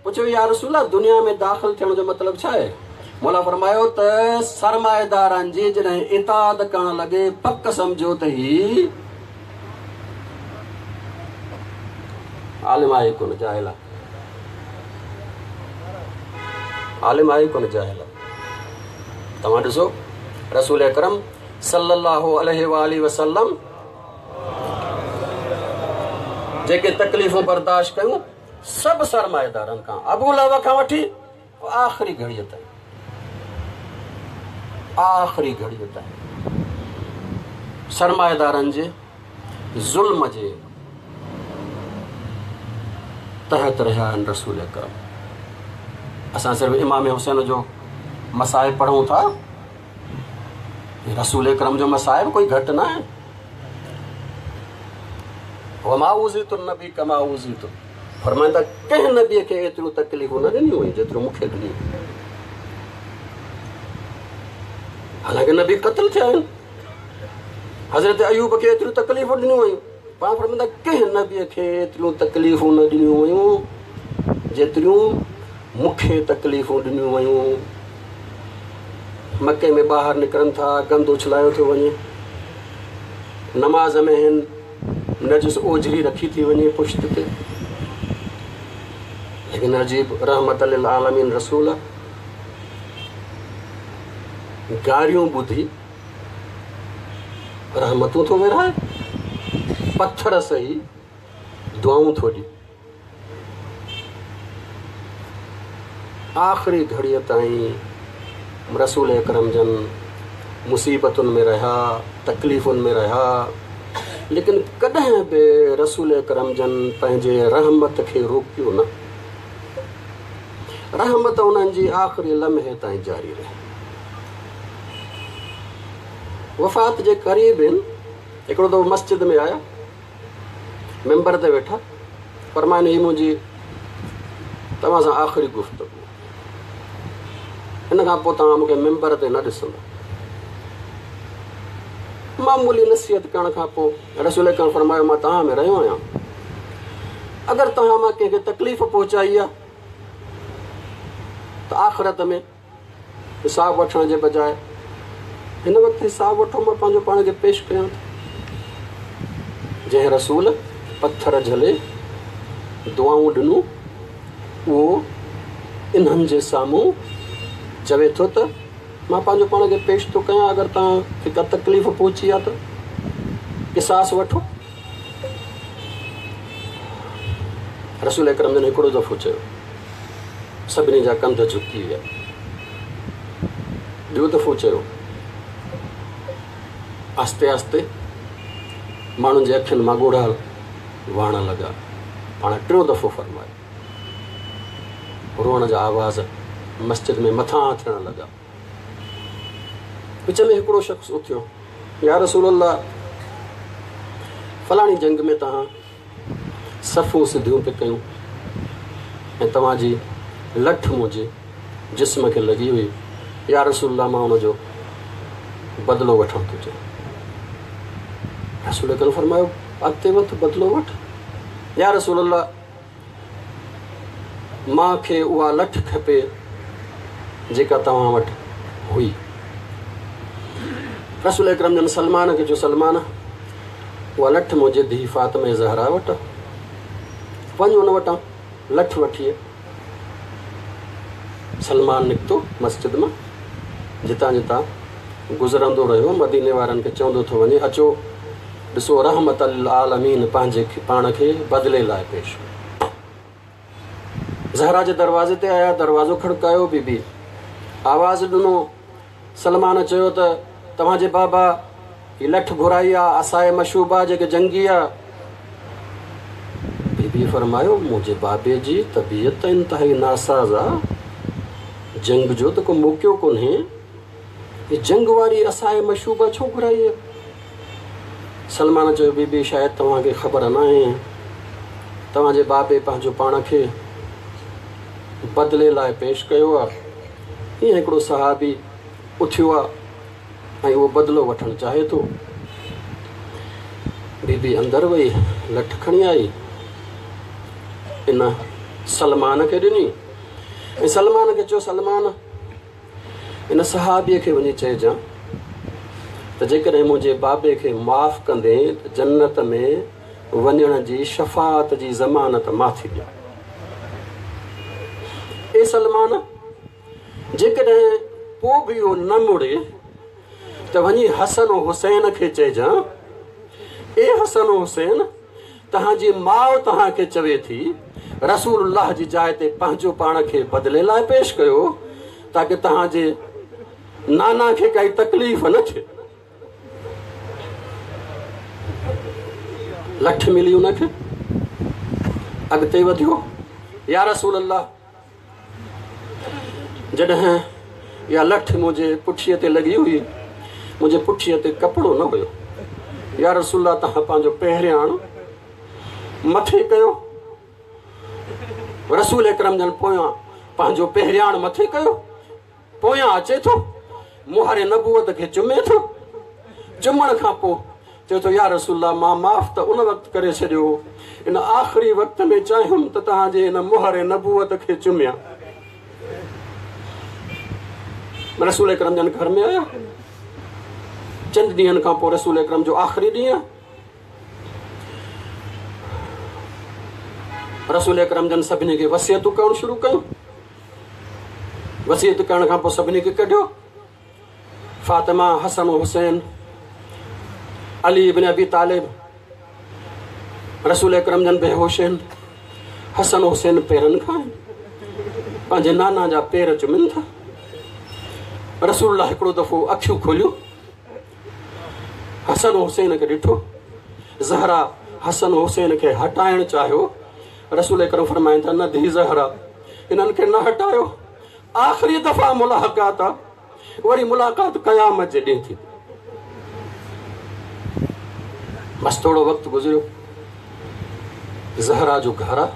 पुछो या रसूल, दुनिया में दाख़िल थियण जो मतिलबु छा आहे? मौला फरमायो त सरमाएदारनि जी जॾहिं इताद करण लॻे पक सम्झो त ही आलिम आहे कोन, जाहिल आहे। आलिम आहे कोन, जाहिल आहे। तव्हां ॾिसो रसूल अकरम सल्लल्लाहु अलैहि वालैहि वसल्लम जेके तकलीफ़ूं बर्दाश्त कयूं सभु सरमाएदारनि खां, अबू लहब खां वठी आख़िरी घड़ीअ ताईं, आख़िरी घड़ीअ ताईं सरमाएदारनि जे ज़ुल्म जे तहत रहिया आहिनि रसूल अकरम। असां सिर्फ़ इमाम हुसैन जो मसाइब पढ़ूं था, रसूल अकरम जो मसाइब कोई घटि न आहे। वमा उज़ीतु नबी कमा उज़ीतु, फरमाइनि था कंहिं नबीअ खे एतिरियूं तकलीफ़ूं न ॾिनियूं वयूं जेतिरियूं मूंखे ॾिनियूं। हालांकि नबी क़तल थिया आहिनि, हज़रत अयूब खे एतिरियूं तकलीफ़ूं ॾिनियूं वयूं, पाण फरमाइनि था कंहिं नबीअ खे एतिरियूं तकलीफ़ूं न ॾिनियूं वयूं जेतिरियूं मूंखे तकलीफ़ूं ॾिनियूं वयूं। मक्के में ॿाहिरि निकिरनि था, गंद उछलायो थो वञे, नमाज़ में आहिनि, नजिस ओझरी रखी थी वञे पुश्त ते। लेकिन अजीब रहमत लिल आलमीन रसूल गारियूं ॿुधी रहमतूं थो विराए, पत्थर सही दुआऊं थो ॾिए। आख़िरी घड़ीअ ताईं रसूल अकरम जन मुसीबतुनि में रहिया, तकलीफ़ुनि में रहिया, लेकिन कॾहिं बि रसूल अकरम जन पंहिंजे रहमत खे रोकियो न। रहमत उन्हनि जी आख़िरी लम्हे ताईं जारी रही। वफ़ात जे क़रीब आहिनि, हिकिड़ो दफ़ो मस्जिद में आया, मेंबर ते वेठा, फरमाइनि हीअ मुंहिंजी तव्हां सां आख़िरी गुफ़्तगू, इन खां पोइ तव्हां मूंखे मेंबर ते न ॾिसंदा। मामूली नसीहत करण खां पोइ रसूल अकरम फरमायो मां तव्हां में रहियो आहियां, अगरि तव्हां मां कंहिंखे तकलीफ़ पहुचाई आहे त आख़िरत में हिसाब वठण जे बजाए हिन वक़्तु हिसाब वठो, मां पंहिंजो पाण खे पेश कयां थो। जंहिं रसूल पत्थर झले दुआऊं ॾिनूं, उहो इन्हनि जे साम्हूं चवे थो त मां पंहिंजो पाण खे पेश थो कयां, अगरि तव्हांखे का तकलीफ़ पहुची आहे त क़िसास वठो। रसूल अकरम जन हिकिड़ो दफ़ो चयो, सभिनी जा कंध झुकी विया। ॿियो दफ़ो चयो, आहिस्ते आहिस्ते माण्हुनि जे अखियुनि मां ॻोढ़ा वहण लॻा। पाण टियों दफ़ो फरमायो, रोअण जा आवाज़ मस्जिद में मथां थियण लॻा। विच में हिकिड़ो शख़्स उथियो, या रसूल अल्लाह, फलाणी जंग में तव्हां सफ़ूं सिधियूं पे कयूं ऐं तव्हांजी लठ मुंहिंजे जिस्म खे लॻी हुई, या रसूल अल्लाह मां हुनजो बदिलो वठणु थो चाहियां। रसूल अकरम फरमायो, अॻिते वधि, बदिलो वठि। या रसूल अल्लाह, मां खे उहा लठ खपे जेका तव्हां वटि हुई। रसूल अकरम जन सलमान खे चयो, सलमान, उहा लठ मुंहिंजे धीउ फातिमा ज़हरा वटि, वञ उन वटां लठ वठी। सलमान निकितो मस्जिद मां, जितां जितां गुज़रंदो रहियो, मदीने वारनि खे चवंदो थो वञे, अचो ॾिसो रहमत आलमीन पंहिंजे पाण खे बदिले लाइ पेश। ज़हरा जे दरवाज़े ते आया, दरवाज़ो खड़कायो, बीबी आवाज़ ॾिनो। सलमान चयो त तव्हांजे बाबा हीअ लठ घुराई आहे, असाए मशूबा जेके जंगी आहे। बीबी फरमायो, मुंहिंजे बाबे जी तबीयत त इंतिहाई नासाज़ आहे, जंग जो त को मौक़ो कोन्हे, हीअ जंग वारी असाए मशूबा छो घुराई आहे? सलमान चयो, बीबी शायदि तव्हांखे ख़बर न आहे, तव्हांजे बाबे पंहिंजो पाण खे बदिले लाइ पेश कयो आहे। ईअं हिकिड़ो सहाबी उथियो आहे ऐं उहो बदिलो वठणु चाहे थो। बीबी अंदरि वई, लठ खणी आई, इन सलमान खे ॾिनी ऐं सलमान खे चयो, सलमान, इन सहाबीअ खे वञी चइजां त जेकॾहिं मुंहिंजे बाबे खे माफ़ कंदे त जन्नत में वञण जी शफ़ात जी ज़मानत मां थी ॾियां। ए सलमान, जेकॾहिं पोइ बि इहो न मुड़े त वञी हसन हुसैन खे चइजां, ए हसन हुसैन, तव्हांजी माउ तव्हांखे चवे थी रसूलुल्लाह जी जाइ ते पंहिंजो पाण खे बदिले लाइ पेश कयो ताकि तव्हांजे नाना खे काई तकलीफ़ न थिए। लठ मिली हुनखे, अॻिते वधियो, या रसूल अल्लाह, जॾहिं इहा लठ मुंहिंजे पुठीअ ते लॻी हुई, मुंहिंजे पुठीअ ते कपिड़ो न हुयो, या रसूल अल्लाह, तव्हां पंहिंजो पहिरियाण मथे कयो। रसूल अकरम जन पोयां पंहिंजो पहिरियाण मथे कयो, पोयां अचे थो, मुहर नबूवत खे चुमे थो। चुमण खां पोइ चए थो, या रसूल अल्लाह, मां माफ़ त उन वक़्तु करे छॾियो, इन आख़िरी वक़्त में चाहियुमि त तव्हांजे इन मुहर नबूवत खे चुमियां। रसूल अकरम जन घर में आया। चंद ॾींहनि खां पोइ रसूल अकरम जो आख़िरी ॾींहुं, रसूल अकरम जन सभिनी खे वसियतूं करणु शुरू कयूं। वसियत करण खां पोइ सभिनी खे कढियो, फातिमा, हसन हुसैन, अली इब्न अबी तालिब। रसूल अकरम जन बेहोश आहिनि, हसन हुसैन पेरनि खां आहिनि, पंहिंजे नाना जा पेर चुमनि था। रसूलुल्लाह हिकिड़ो दफ़ो अखियूं खोलियूं, हसन हुसैन खे ॾिठो। ज़हरा हसन हुसैन खे हटाइणु चाहियो, रसूल अकरम फरमाइनि था, न धी ज़हरा, इन्हनि खे न हटायो, आख़िरी दफ़ा मुलाक़ात आहे, वरी मुलाक़ात क़यामत जे ॾींहुं थींदी। बसि थोरो वक़्तु गुज़रियो, ज़हरा जो घर आहे,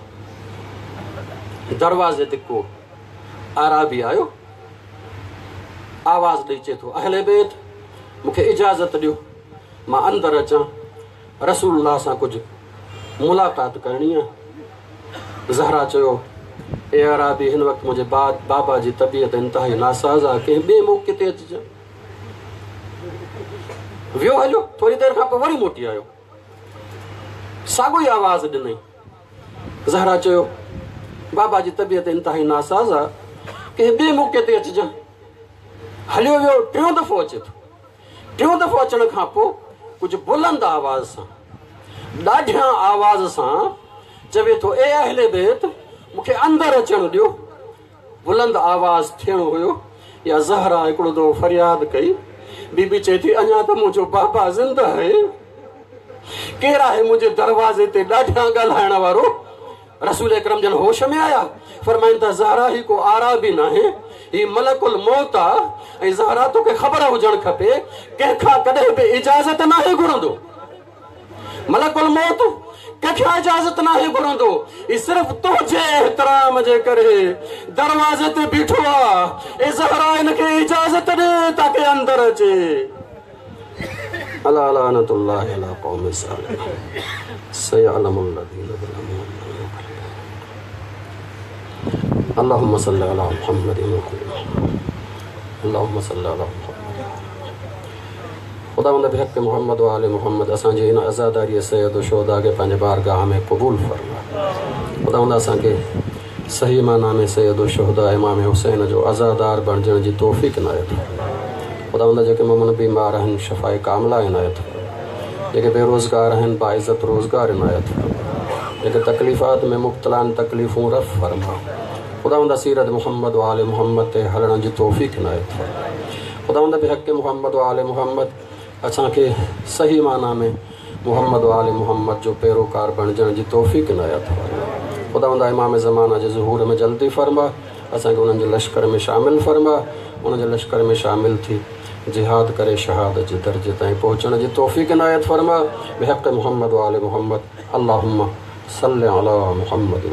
दरवाज़े ते को आराबी आयो, आवाज़ ॾेई चए थो, अहले बैत, मूंखे इजाज़त ॾियो, मां अंदरि अचां, रसूलुल्लाह सां कुझु मुलाक़ात करणी आहे। ज़हरा चयो, ए अराबी, हिन वक़्तु मुंहिंजे बाबा जी तबीयत इंतिहाई नासाज़ आहे, कंहिं ॿिए मौक़े ते अचिजां। वियो हलियो, थोरी देरि खां पोइ वरी मोटी आयो, साॻियो ई आवाज़ ॾिनई। ज़हरा चयो, बाबा जी तबीयत इंतिहाई नासाज़ आहे, कंहिं ॿिए मौक़े ते अचिजां। हलियो वियो, टियों दफ़ो अचे थो। टियों दफ़ो अचण खां पोइ कुझु बुलंद आवाज़ सां, ॾाढिया आवाज़ सां चवे थो ए अहले बैत मूंखे अंदरि अचणु ॾियो। बुलंद आवाज़ थियणो हुयो या ज़हरा हिकिड़ो दफ़ो फरियाद कई। बीबी चए थी अञा त मुंहिंजो बाबा ज़िंदा आहे, केरु आहे मुंहिंजे दरवाज़े ते ॾाढियां ॻाल्हाइण वारो? रसूल अकरम जन होश में आया, फरमाइनि था ज़हरा ही को आरा भी नाहे, ही मलकुल मौत आहे। ऐं ज़हरा तोखे ख़बर हुजणु खपे कंहिंखां कॾहिं बि इजाज़त नाहे घुरंदो। मलकुल मौत कंहिंखां इजाज़त नाहे घुरंदो, ही सिर्फ़ तुंहिंजे एहतराम जे करे दरवाज़े ते बीठो आहे। ए ज़हरा हिनखे इजाज़त ॾे ताकी अंदरि अचे। अला लानतुल्लाहि अला क़ौम ज़ालिमीन सयअलमुल लज़ीना ज़लमू। अल्लाहुम्मा सल्लि अला मुहम्मद अल्लाहुम्मा सल्लि अला मुहम्मद। ख़ुदावंद बिहक़ मुहम्मद व आले मुहम्मद असांजे हिन अज़ादारीअ सैयद शुहदा खे पंहिंजे बारगाह में क़बूल फरमा। ख़ुदावंद असांखे सही माना में सैयद शुहदा इमाम हुसैन जो अज़ादार बणिजण जी तौफ़ीक़ इनायत फरमा। ख़ुदावंद जेके मोमिन बीमार आहिनि शफ़ाए कामिला इनायत फरमा। जेके बेरोज़गार आहिनि बाइज़त रोज़गार इनायत फरमा। जेके तकलीफ़ात में मुब्तला आहिनि तकलीफ़ूं रफ़ फरमा। ख़ुदावंद सीरत मुहम्मद व आले मुहम्मद ते हलण जी तौफ़ीक़ इनायत फरमा। ख़ुदावंद बिहक़ मुहम्मद व आले मुहम्मद असांखे सही माना में मुहम्मद व आले मुहम्मद जो पैरोकार बणिजण जी तौफ़ीक़ इनायत फरमा। ख़ुदावंद इमाम ज़माना जे ज़ुहूर में जल्दी फरमा, असांखे उन्हनि जे लश्कर में शामिल फरमा, उन्हनि जे लश्कर में शामिल थी जिहाद करे शहादत जे दर्जे ताईं पहुचण जी तौफ़ीक़ इनायत फरमा। बिहक़ मुहम्मद व आले मुहम्मद। अल्लाहुम्मा सल्लि अला मुहम्मद।